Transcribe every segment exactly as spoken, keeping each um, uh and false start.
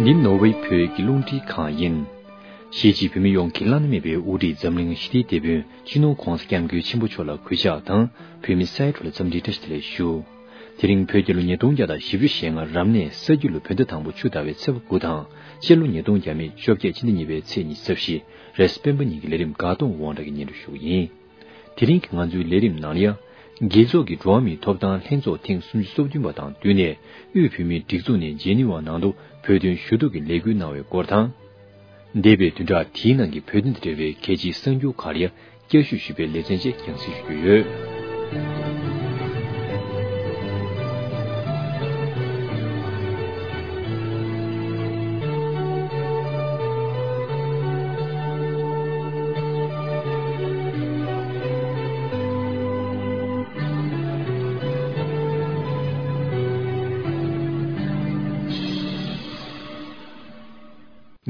འདི་ནོར་ཝེ་བོད་ཀྱི་རླུང་འཕྲིན་ཁང་ཡིན། གཞིས་བྱེས་བོད་མི་ཡོངས་ཀྱི་བླ་ན་མེད་པའི་དབུ་ཁྲིད་འཛམ་གླིང་ཞི་བདེའི་དེད་དཔོན་སྤྱི་ནོར་༧གོང་ས་༧སྐྱབས་མགོན་ཆེན་པོ་མཆོག་ལ་གུས་ཕྱག་དང་། བོད་མི་ས་ཡ་དྲུག་ལ་འཚམས་འདྲིའི་བཀྲ་ཤིས་བདེ་ལེགས་ཞུ། དེ་རིང་བོད་རྒྱལ་ལོ་ཉིས་སྟོང་བརྒྱ་དང་བཞི་བཅུ་ཞེ་ལྔ་རབ་གནས་ས་རྒྱུས་ལོ་བོད་ཟླ་དང་པོ་ཆུ་ཟླ་བའི་ཚེས་པ་དགུ་དང་། སྤྱི་ལོ་ཉིས་སྟོང་བརྒྱ་མེད་བཅོ་བརྒྱད་ཕྱི་ཟླ་གཉིས་པའི་ཚེས་ཉི་ཤུ་རྩ་བཞི། རེས་གཟའ་སྤེན་པ་ཉིན་གྱི་ལས་རིམ་འགག་སྟོང་དབང་གྲགས་ཀྱིས་སྙན་སྒྲོན་ཞུ་གི་ཡིན། དེ་རིང་གི་ང་ཚོའི་ལས་རིམ་ནང་ལ་ཡང་། རྒྱལ་ཚོགས་ཀྱི་འགྲོ་བ་མིའི་ཐོབ་ཐང་ལྷན་ཚོགས་ཐེངས་སུམ་ཅུ་སོ་བདུན་པ་དང་བསྟུན་ནས། དབུས་བོད་མིའི་སྒྲིག་འཛུགས་ནས་ཇེ་ནི་ཝ་ནང་དུ་བོད་དོན་ཞུ་གཏུག་གི་ལས་འགུལ་གནང་བའི་སྐོར་དང་། འདས་པའི་བདུན་ཕྲག་དེའི་ནང་གི་བོད་དོན་དང་འབྲེལ་བའི་གལ་ཆེའི་གསར་འགྱུར་ཁག་ལ་ཡང་བསྐྱར་ཞིབ་ཞུས་པའི་ལེ་ཚན་བཅས་རྒྱང་སྲིང་ཞུ་རྒྱུ་ཡོད།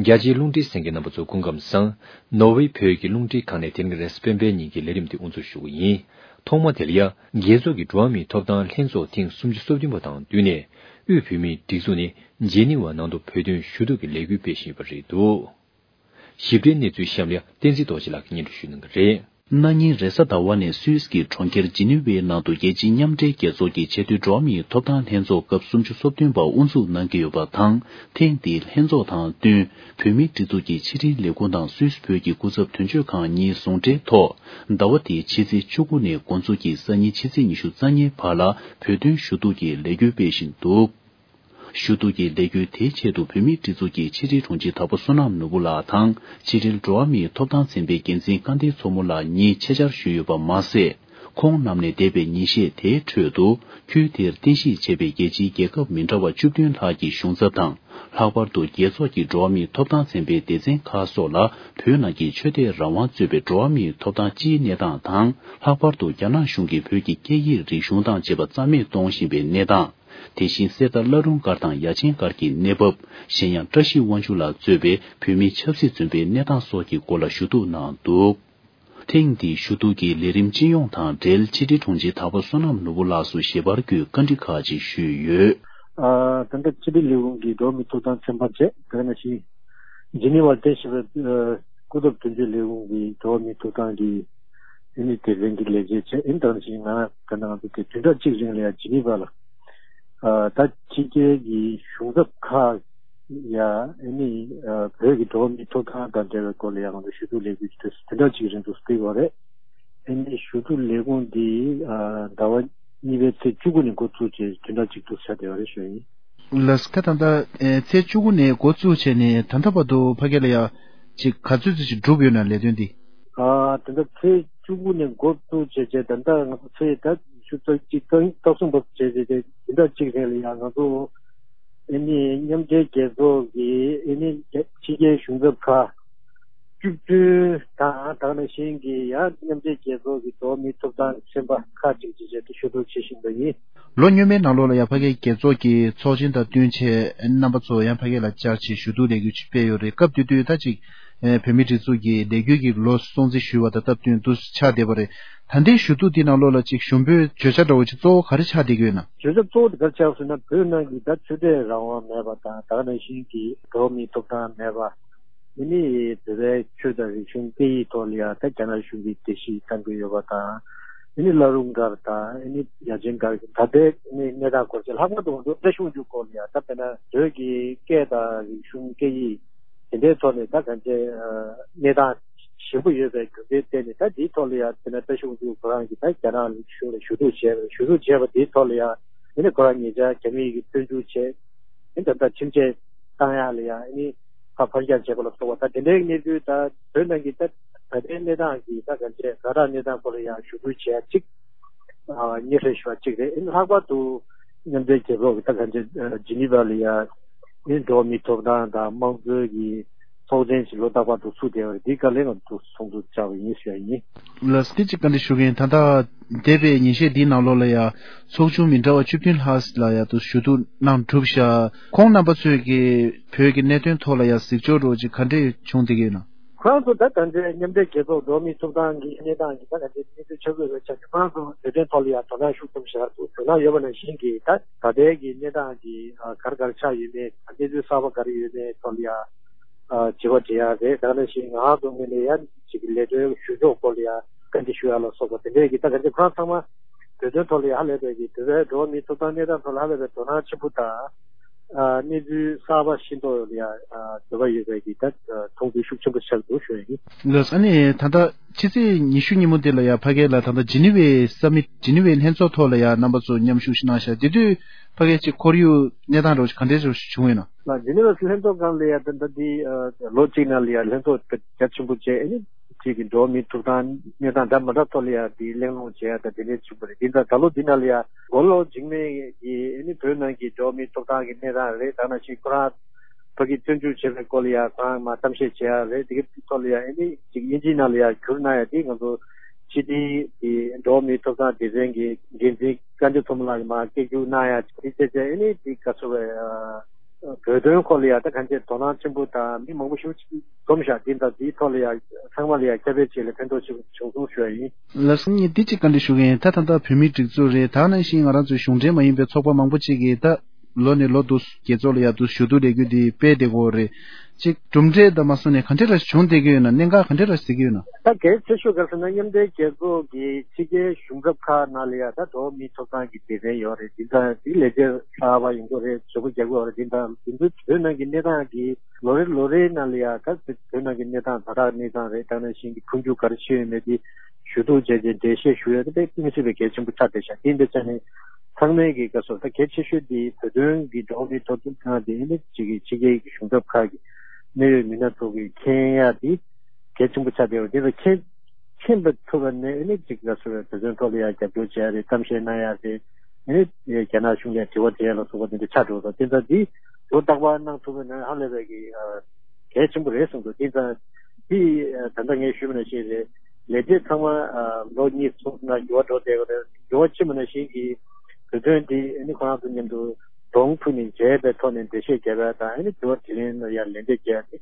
རྒྱ་ཆེའི་རླུང་འཕྲིན་གསན་མཁན་རྣམ་པ་ཚོ་སྐུ་ཁམས་བཟང་། ནོར་ཝེ་བོད་ཀྱི་རླུང་འཕྲིན་ཁང་ནས་དེ་རིང་རེས་གཟའ་སྤེན་པའི་ཉིན་གྱི་ལས་རིམ་དེ་དབུ་འཛུགས་ཞུ་གི་ཡིན། ཐོག་མ་དེ་ལ་ཡང་རྒྱལ་ཚོགས་ཀྱི་འགྲོ་བ་མིའི་ཐོབ་ཐང་ལྷན་ཚོགས་ཐེངས་སུམ་ཅུ་སོ་བདུན་པ་དང་བསྟུན་ནས། དབུས་བོད་མིའི་སྒྲིག་འཛུགས་ནས་ཇེ་ནི་ཝ་ནང་དུ་བོད་དོན་ཞུ་གཏུག་གི་ལས་འགུལ་སྤེལ་བཞིན་ཡོད་པ་རེད་འདུག། ཞིབ་ཕྲའི་གནས་ཚུལ་གཤམ་ལ་བསྟན་འཛིན་རྡོ་རྗེ་ལགས་ཀྱིས་སྙན་སྒྲོན་ཞུ་གནང་གི་རེད། གནངས་ཉིན་རེས་གཟའ་ཟླ་བ་ནས་སུད་སི་གི་གྲོང་ཁྱེར་ཇི་ནི་ཝའི་ནང་དུ་རྒྱལ་སྤྱིའི་མཉམ་འབྲེལ་རྒྱལ་ཚོགས་ཀྱི་ཆེས་མཐོའི་འགྲོ་བ་མིའི་ཐོབ་ཐང་ལྷན་ཚོགས་སྐབས་སུམ་ཅུ་སོ་བདུན་པ་དབུ་འཛུགས་གནང་གི་ཡོད་པ་དང་། ཐེངས་འདིའི་ལྷན་ཚོགས་དང་བསྟུན། བོད་མིའི་སྒྲིག་འཛུགས་ཀྱི་ཕྱི་དྲིལ་ལས་ཁུངས་དང་སུད་སི་བོད་ཀྱི་སྐུ་ཚབ་དོན་གཅོད་ཁང་གཉིས་ཟུང་འབྲེལ་ཐོག་ཟླ་བ་འདིའི་ཕྱི་ཚེས་བཅུ་དགུ་ནས་འགོ་འཛུགས་ཀྱིས་སང་ཉིན་ཕྱི་ཚེས་ཉི་ཤུ་རྩ་གཉིས་བར་ལ་བོད་དོན་ཞུ་གཏུག་གི་ལས་འགུལ་སྤེལ་བཞིན་འདུག། ཞུ་གཏུག་གི་ལས་འགུལ་དེའི་ཆེད་དུ་བོད་མིའི་སྒྲིག་འཛུགས་ཀྱི་ཕྱི་དྲིལ་དྲུང་ཆེ་དྭགས་པོ་བསོད་ནམས་ནོར་བུ་ལགས་དང་། ཕྱི་དྲིལ་འགྲོ་བ་མིའི་ཐོབ་ཐང་ཚན་པའི་འགན་འཛིན་སྐལ་ལྡན་མཚོ་མོ་ལགས་གཉིས་ཆེད་བཅར་ཞུས་ཡོད་པ་མ་ཟད། ཁོང་རྣམས་ནས་འདས་པའི་ཉིན་ཤས་དེའི་ཁྲོད་དུ། ཁུལ་དེར་རྟེན་གཞི་བྱས་པའི་རྒྱལ་སྤྱིའི་རྒྱལ་ཁབ་མི་འདྲ་བ་བཅུ་བདུན་ལྷག་གི་གཞུང་ཚབ་དང་། ལྷག་པར་དུ་རྒྱལ་ཚོགས་ཀྱི་འགྲོ་བ་མིའི་ཐོབ་ཐང་ཚན་པའི་སྡེ་ཚན་ཁག་སོགས་ལ། བོད་ནང་གི་ཆོས་དད་རང་དབང་གཙོས་པའི་འགྲོ་བ་མིའི་ཐོབ་ཐང་སྤྱིའི་གནས་སྟངས་དང་། ལྷག་པར་དུ་རྒྱ་ནག་གཞུང་གིས་བོད་ཀྱི་སྐད་ཡིག་རིག་གཞུང་དང་བཅས་པ་རྩ་མེད་གཏོང་བཞིན་པའི་གནས་སྟངས། དེ་བཞིན་གསེར་རྟ་བླ་རུང་སྒར་དང་ཡ་ཆེན་སྒར་གྱི་གནས་བབ། གཞན་ཡང་བཀྲ་ཤིས་དབང་ཕྱུག་ལགས་གཙོས་པའི་བོད་མིའི་ཆབ་སྲིད་བཙོན་པའི་གནས་སྟངས་སོགས་ཀྱི་སྐོར་ལ་ཞུ་གཏུག་གནང་འདུག། ཐེངས་འདིའི་ཞུ་གཏུག་གི་ལས་རིམ་སྤྱི་ཡོངས་དང་འབྲེལ་ཕྱི་དྲིལ་དྲུང་ཆེ་དྭགས་པོ་བསོད་ནམས་ནོར་བུ་ལགས་སུ་ཞལ་པར་བརྒྱུད་བཀའ་འདྲི་ཁག་ཅིག་ཞུས་ཡོད། ཨ། ད་ལྟ་ཕྱི་དྲིལ་ལས་ཁུངས་ཀྱི་འགྲོ་བ་མིའི་ཐོབ་ཐང་ཚན་པ་བཅས་དེ་ནང་བཞིན་ཇི་ནི་ཝར་རྟེན་གཞི་བའི་ཨ་སྐུ་ཚབ་དོན་གཅོད་ལས་ཁུངས་ཀྱི་འགྲོ་བ་མིའི་ཐོབ་ཐང་གི་ཨ་ནི་སྡེ་ཚན་གྱི་ལས་བྱེད་བཅས་ཨ་ནི་དེ་ནང་བཞིན་ང་ད་ནང་དུ་དེ་བདུན་ཕྲག་གཅིག་རིང་ལ་ཡང་ཇི་ནི་ཝར་ལ་ཨ་ད་ཕྱི་རྒྱལ་གྱི་གཞུང་ཚབ་ཁག་ཡ། ཨ་ནི་ཨ་བོད་ཀྱི་འགྲོ་བ་མིའི་ཐོབ་ཐང་དང་འབྲེལ་བའི་སྐོར་ལ་ཡང་ང་ཚོ་ཞུ་གཏུག་ལས་འགུལ་ཞིག་དེ་བདུན་ཕྲག་གཅིག་རིང་དུ་སྤེལ་བ་རེད། ཨ་ནི་ཞུ་གཏུག་ལས་ཁུངས་འདི་ཨ་ཟླ་བ་གཉིས་པའི་ཚེས་བཅུ་དགུ་ནས་འགོ་བཙུགས་བྱས་བདུན་ཕྲག་གཅིག་ཏུ་ཆགས་བསྡད་པ་རེད་ཞུ་ཡིན། ལགས་ཁ་ད་ལྟ་ཨེ་ཚེས་བཅུ་དགུ་ནས་འགོ་བཙུགས་བྱས་ནས་ད་ལྟ་བར་དུ་ཕ་གི་ལ་ཡ་ཅིག་ག་ཚོད་ཙམ་ཞིག་གྲུབ་ཡོད་ན་ལས་དོན་འདི། ཨ་ད་ལྟ་ཚེས་བཅུ་དགུ་ནས་འགོ་བཙུགས་བྱས་བྱས་ད་ལྟ་ང་ཚོ་ཚེས་ད་བཅུ་རྩ་གཅིག་ད་ལྟ་གསུམ་བབས་བྱས་བྱས་བྱས་བདུན་ཕྲག་གཅིག་རིང་ལ་ཡང་ང་ཚོ་ཨ་ནི་མཉམ་འབྲེལ་རྒྱལ་ཚོགས་ཀྱི་ཨ་ནི་ཕྱི་རྒྱལ་གཞུང་ཚབ་ཁག་བཅུ་བདུན་དང་དེ་ནང་བཞིན་གྱི་ཡང་མཉམ་འབྲེལ་རྒྱལ་ཚོགས་ཀྱི་འགྲོ་བ་མིའི་ཐོབ་ཐང་ཚན་པ་ཁག་ཅིག་བཅས་བྱས་ཏེ་ཞུ་གཏུག་བྱེད་བཞིན་པ་ཡིན། ལོ་སྔོན་མའི་ནང་ལོགས་ལ་ཡང་ཕ་གིའི་རྒྱལ་ཚོགས་ཀྱི་ཚོགས་ཆེན་དང་བསྟུན་བྱས་རྣམ་པ་ཚོ་ཡང་ཕ་གི་ལ་བཅར་བྱས་ཞུ་གཏུག་ལས་འགུལ་ཅིག་སྤེལ་ཡོད་རེད། སྐབས་དེ་དུས་ད་ཅིག་ཨེ་བོད་མིའི་སྒྲིག་འཛུགས་ཀྱི་ལས་འགུལ་གྱི་ལོ་སྲུང་བརྩི་ཞུས་པ་དང་སྟབས་བསྟུན་དུ་ཆགས་བསྡད་པ་རེད། ད་ལྟའི་ཞུ་གཏུག་འདི་ནང་ལོགས་ལ་ཅིག་ཞུ་འབོད་བརྗོད་བྱ་འདྲ་བོ་ཅིག་གཙོ་བོ་ག་རེ་ཆགས་བསྡད་ཀྱི་ཡོད་ན། བརྗོད་བྱ་གཙོ་བོ་དེ་ག་རེ་ཆགས་ཟེར་ན་བོད་ནང་གི་ད་ཆོས་དད་རང་དབང་མེད་པ་དང་ད་ག་ནང་བཞིན་གྱི་འགྲོ་བ་མིའི་ཐོབ་ཐང་མེད་པ། ཨ་ནི་བོད་པའི་ཆོས་དང་རིག་གཞུང་སྐད་ཡིག་ཐོག་ལ་ཡང་ད་རྒྱ་ནག་གཞུང་གིས་རྒྱལ་སྤྱི་བཏང་གི་ཡོད་པ་དང་། ཨ་ནི་བླ་རུང་སྒར་དང་ཨ་ནི་ཡ་ཆེན་སྒར་གྱི་ད་ལྟའི་ཨ་ནི་གནས་སྟངས་སྐོར་བཅས་ལྷག་པར་དུ་ང་ཚོ་བཀྲ་ཤིས་དབང་ཕྱུག་སྐོར་ལ་ཡང་ད་དཔེར་ན་བོད་ཀྱི་སྐད་དང་རིག་གཞུང་སྐད་ཡིག་དེ་འདྲའི་ཐོག་ནས་ད་གང་ཅི་གནས་སྟངས་ཞན་པོ་ཡོད་པའི་རྒྱུ་མཚན་བརྟེན་ནས་ད་འདིའི་ཐོག་ལ་ཡང་དཔེར་ན་བཀྲ་ཤིས་དབང་ཕྱུག་ཁོ་རང་གིས་ད་རྒྱ་ནག་གཞུང་ལ་ཞུ་གཏུག་བྱས་པ་ཞུ་གཏུག་བྱས་པ་འདིའི་ཐོག་ལ་ཡང་ཨ་ནི་ཁོ་རང་ཉེ་ཆར་རྒྱ་མི་ཡིས་བཙོན་འཇུག་བྱས། ཨ་ནི་ད་ལྟ་ཁྲིམས་ཆད་བཏང་ཡག་ལ་ཡང་ཨ་ནི་ཕར་ཕར་རྒྱག་བྱས་པ་ལ་སོགས་པ་ད་དེ་འདྲའི་གནས་ཚུལ་ད་བོད་ནང་གི་ད་ད་ལྟའི་གནས་སྟངས་ཀྱི་ད་གང་ཅི་ཛ་དྲག་གནས་སྟངས་སྐོར་ལ་ཡང་ཞུ་སྐུལ་བྱས་ཡག་ཅིག་ཨ་སྙན་སེང་ཞུ་བ་ཅིག་རེད། ཨ་ནི་ལྷག་པར་དུ་མཉམ་འབྲེལ་རྒྱལ་ཚོགས་ཀྱི་ད་གང་ཅི་ཇི་ནི་ཝ་ལ་ཡང་ཨ་ནི་འགྲོ་བ་མིའི་ཐོབ་ཐང་དང་དམངས་གཙོའི་གི་ཚོགས་ཆེན་ཞིག་ལོ་ལྟར་བར་དུ་ཚུགས་བསྡད་པ་རེད། འདི་ག་ལེ་ང་ཚོ་ཚོགས་འདུ་བཅར་བ་ཡིན་ཞུ་ཡ་ཡིན། ལགས་སོ། དེ་གཅིག་བཀའ་འདྲི་ཞུ་གི་ཡིན། ད་ལྟ་འདས་པའི་ཉིན་ཤས་འདིའི་ནང་ལོགས་ལ་ཡང་ཚོགས་ཆུང་མི་འདྲ་བ་བཅུ་བདུན་ལྷག་ལ་ཡང་དུ་ཞུ་གཏུག་གནང་གྲུབ་ཤག་ཁོང་རྣམ་པ་ཚོས་ཀྱི་བོད་ཀྱི་གནད་དོན་ཐོག་ལ་ཡང་གཟིགས་ཕྱོགས་འདྲ་བོ་ཅིག་ག་འདྲས་བྱུང་བསྡད་ཀྱི་ཡོད་ན། ཁོ་རང་ཚོ་ད་ད་ལྟའི་མཉམ་འབྲེལ་རྒྱལ་ཚོགས་འགྲོ་བ་མིའི་ཐོབ་ཐང་གི་གནས་སྟངས་ཀྱི་ད་ད་ལྟའི་གནས་ཚུལ་ཆགས་ཚུལ་རེད་ཆགས་ཀྱི་ཁོ་རང་ཚོ་བོད་དོན་ཐོག་ལ་ཡང་དོ་སྣང་ཤུགས་ཆེན་པོ་བྱེད་དགོས་ན་ཡོད་པ་ནང་བཞིན་གྱི་ད་ད་ལྟའི་གི་གནས་སྟངས་ཀྱི་ཨ་ག་རེ་ག་རེ་ཆགས་ཡོད་མེད་གནས་ཚུལ་གསར་པ་ག་རེ་ཡོད་མེད་ཐོག་ལ་ཡང་ཨ་དྲི་བ་དྲི་ཡ་རེད། ད་ག་ནང་བཞིན་ང་རང་ཚོ་ངོས་ནས་ཡང་ཅིག་ལས་དོན་ཞུ་ཕྱོགས་སྐོར་ལ་ཡང་བཀའ་འདྲི་ཞུ་ཡ་ལ་སོགས་པ་དེ་འདྲའི་གི་ད་ག་ཚོད་ཁོ་རང་ཚང་མ་བོད་དོན་ཐོག་ལ་ཡང་ཧ་ལས་པའི་གི་བོད་པའི་འགྲོ་བ་མིའི་ཐོབ་ཐང་གནས་སྟངས་ཐོག་ལ་ཧ་ལས་པའི་དོ་སྣང་ཆེན་པོ་དང་། ཨ་གནས་ཚུལ་གསར་པ་ཤེས་རྟོགས་ཡོང་ཡ་ཨ་འདོད་པ་ཡོད་པའི་གི་ད་ཨ་མཐོང་ཚུལ་ཤུགས་ཆེན་པོ་ཆགས་འདུག་ཞུ་ཡ་ཡིན། ལགས་ཨ་ནི་ད་ལྟ་ཕྱི་ཚེས་ཉི་ཤུ་ཉིན་མོ་དེ་ལ་ཡ་ཕ་གི་ལ་ད་ལྟ་ཇི་ནི་ཝའི་ས་མིཊ་ཇི་ནི་ཝའི་ལྷན་ཚོགས་ཐོག་ལ་ཡ་རྣམ་པ་ཚོ་མཉམ་ཞུགས་ཞིག་གནང་ཤག་དེ་དུས་ཕ་གི་ཅིག་ཁོར་ཡུག་གནས་སྟངས་འདྲ་བོ་ཞིག་གང་འདྲ་བྱུང་ཡོད་ན། ལགས་ཇི་ནི་ཝའི་ལྷན་ཚོགས་སྒང་ལ་ཡ་ད་ལྟ་འདི་ཨ་ལོ་གཅིག་ནང་ལ་ཡ་ལྷན་ཚོགས་རྒྱ་ཆེན་པོ་བྱས་ཨ་ནི་གཅིག་གི་འགྲོ་བ་མིའི་ཐོབ་ཐང་གནས་སྟངས་འདྲ་མི་འདྲ་ཐོག་ལ་ཡ་དེ་གླེང་སློང་བྱེད་ཡ་དང་དེ་འདྲའི་བྱུང་བ་རེད། དེ་ཙང་ད་ལོ་འདི་ནང་ལ་ཡ་མགོ་ལོག་འཇིགས་མེད་ཀྱིས་ཨ་ནི་བོད་ནང་གི་འགྲོ་བ་མིའི་ཐོབ་ཐང་གི་གནས་སྟངས་རེད། ད་ནང་བཞིན་ཁོ་རང་ཕ་གི་བཙོན་འཇུག་བྱས་པའི་སྐོར་ལ་ཡ་ཁོ་རང་མར་གཏམ་བཤད་བྱེད་ཡ་རེད། དེ་གི་ཐོག་ལ་ཡ་ཨ་ནི་ཅིག་དབྱིན་ཇིའི་ནང་ལ་ཡ་བསྒྱུར་གནང་ཡ་དེ་ང་ཚོ་ཕྱི་དྲིལ་གྱི་འགྲོ་བ་མིའི་ཐོབ་ཐང་སྡེ་ཚན་གྱི་འགན་འཛིན་བཀའ་འགྱུར་མཚོ་མོ་ལགས་ཀྱིས་མར་སྐད་སྒྱུར་གནང་ཡ་དེ་བྱས་བྱས་ཨ་ནི་དེ་ག་ཚོད་རེད། བོད་དོན་སྐོར་ལ་ཡང་ད་གང་ཅི་དོ་སྣང་ཆེན་པོ་དང་མི་མང་པོ་ཞིག་འཛོམས་ཤག་འདི་དང་འདིའི་ཐོག་ལ་ཡང་ཚང་མ་ལ་ཡང་ཁྱབ་སྤེལ་བྱས་ལ་ཕན་ཐོགས་ཆེན་པོ་བྱུང་སོང་ཞུ་ཡ་ཡིན། ལགས་སོ། ངས་འདི་གཅིག་བཀའ་འདྲི་ཞུ་གི་ཡིན། ད་ད་ལྟ་བོད་མིའི་སྒྲིག་འཛུགས་རེད། ད་ནང་བཞིན་ང་རང་ཚོའི་གཞུང་འབྲེལ་མ་ཡིན་པའི་ཚོགས་པ་མང་པོ་ཅིག་གིས་ད་ལོ་ནས་ལོ་འདུག་རྒྱལ་ཚོགས་ལ་ཡང་འདུག་ཞུ་གཏུག་ལས་འགུལ་འདི་སྤེལ་བསྡད་ཀྱི་ཡོད་རེད། ཅིག་གྲུབ་འབྲས་དང་མ་སོང་ནས་ག་འདྲ་ར་བྱུང་བསྡད་ཀྱི་ཡོད་ན། གནད་འགག་ག་འདྲ་ར་གཟིགས་ཀྱི་ཡོད་ན། ད་གལ་ཆེ་ཤོས་ག་རེ་ཟེར་ན་མཉམ་འབྲེལ་རྒྱལ་ཚོགས་ཀྱི་ཕྱི་རྒྱལ་གཞུང་ཚབ་ཁག་ནང་ལ་ཡང་ད་འགྲོ་བ་མིའི་ཐོབ་ཐང་གི་སྡེ་ཚན་ཡོད་རེད། འདི་ད་འདི་ལས་བྱེད་གསར་པ་ཡོང་གི་རེད། བཟོ་པོ་རྒྱག་གི་ཡོད་རེད། འདི་ད་འདི་ཚོའི་བོད་ནང་གི་གནས་སྟངས་ཀྱི་ལོ་རེ་ལོ་རེའི་ནང་ལ་ཡང་ད་བོད་ནང་གི་གནས་སྟངས་ད་དྲག་གནས་སྟངས་རེད། ད་ནང་བཞིན་གྱི་འཕོ་འགྱུར་ག་རེ་ཕྱིན་ཡོད་མེད་དེ་ཞུ་གཏུག་བྱས་རྗེས་འགྲེལ་བཤད་ཞུ་ཡ་དེ་དཔེ་དམིགས་བསལ་བའི་གལ་ཆེན་པོ་ཆགས་བསྡད་ཤག་དེ་འདི་ཆ་ནས་ཚང་མས་ཀྱི་དགའ་ཚོར་ད་གལ་ཆེ་ཤོས་དེ་བོད་དོན་གྱི་འགྲོ་བ་མིའི་ཐོབ་ཐང་དེ་ནི་ཅིག་གི་ཕྱི་རྒྱལ་གྱི་གཞུང་ཚབ་ཁག་གི་གནད་ཡོད་མི་སྣ་ཚོ་གི་མཁྱེན་ཡ་དེ་གལ་ཆེན་པོ་ཆགས་བསྡད་ཡོད། དེ་ལ་མཁྱེན་མཁྱེན་པ་ཐུབ་པ་ནས་ཨ་ནི་ཅིག་ལ་སོགས་པའི་བོད་དོན་ཐོག་ལ་ཡང་རྒྱབ་སྐྱོར་བྱས་རེད། གཏམ་བཤད་གནང་ཡ་རེད། ཨ་ནི་རྒྱ་ནག་གཞུང་ལ་དྲི་བ་དྲིས་ཡ་ལ་སོགས་པ་དེ་འདྲ་ཆགས་འགྲོ་སོང་། དེ་ཚོ་འདི་ལོ་རྟག་པར་གནང་ཐུབ་པ་ན་ཧ་ལས་པའི་གི་གལ་ཆེན་པོ་རེད་གསུངས་འདུག་དེ་ཙང་འདི་ད་ལྟ་ངས་ཞུས་པ་ནང་བཞིན་རེད། ལས་བྱེད་ཚང་མ་ལོ་གཉིས་གསུམ་ནང་འགྱུར་བ་འགྲོ་བསྡད་ཡོད་རེད། འགྱུར་བ་ཕྱིན་པ་ནང་བཞིན་གི་བོད་དོན་འདི་ཨ་ནི་ཁོ་རང་ཚོ་མཉམ་དུ་གདོང་ཐུག་ནས་མཇལ་བའི་ཐོག་ནས་འགྲེལ་བཤད་རྒྱབ་ཡ་དང་ཨ་ནི་དྲི་བ་དྲིས་ལན་ལ་ཡང་ལན་འདེབས་རྒྱག་ཡ་དེ་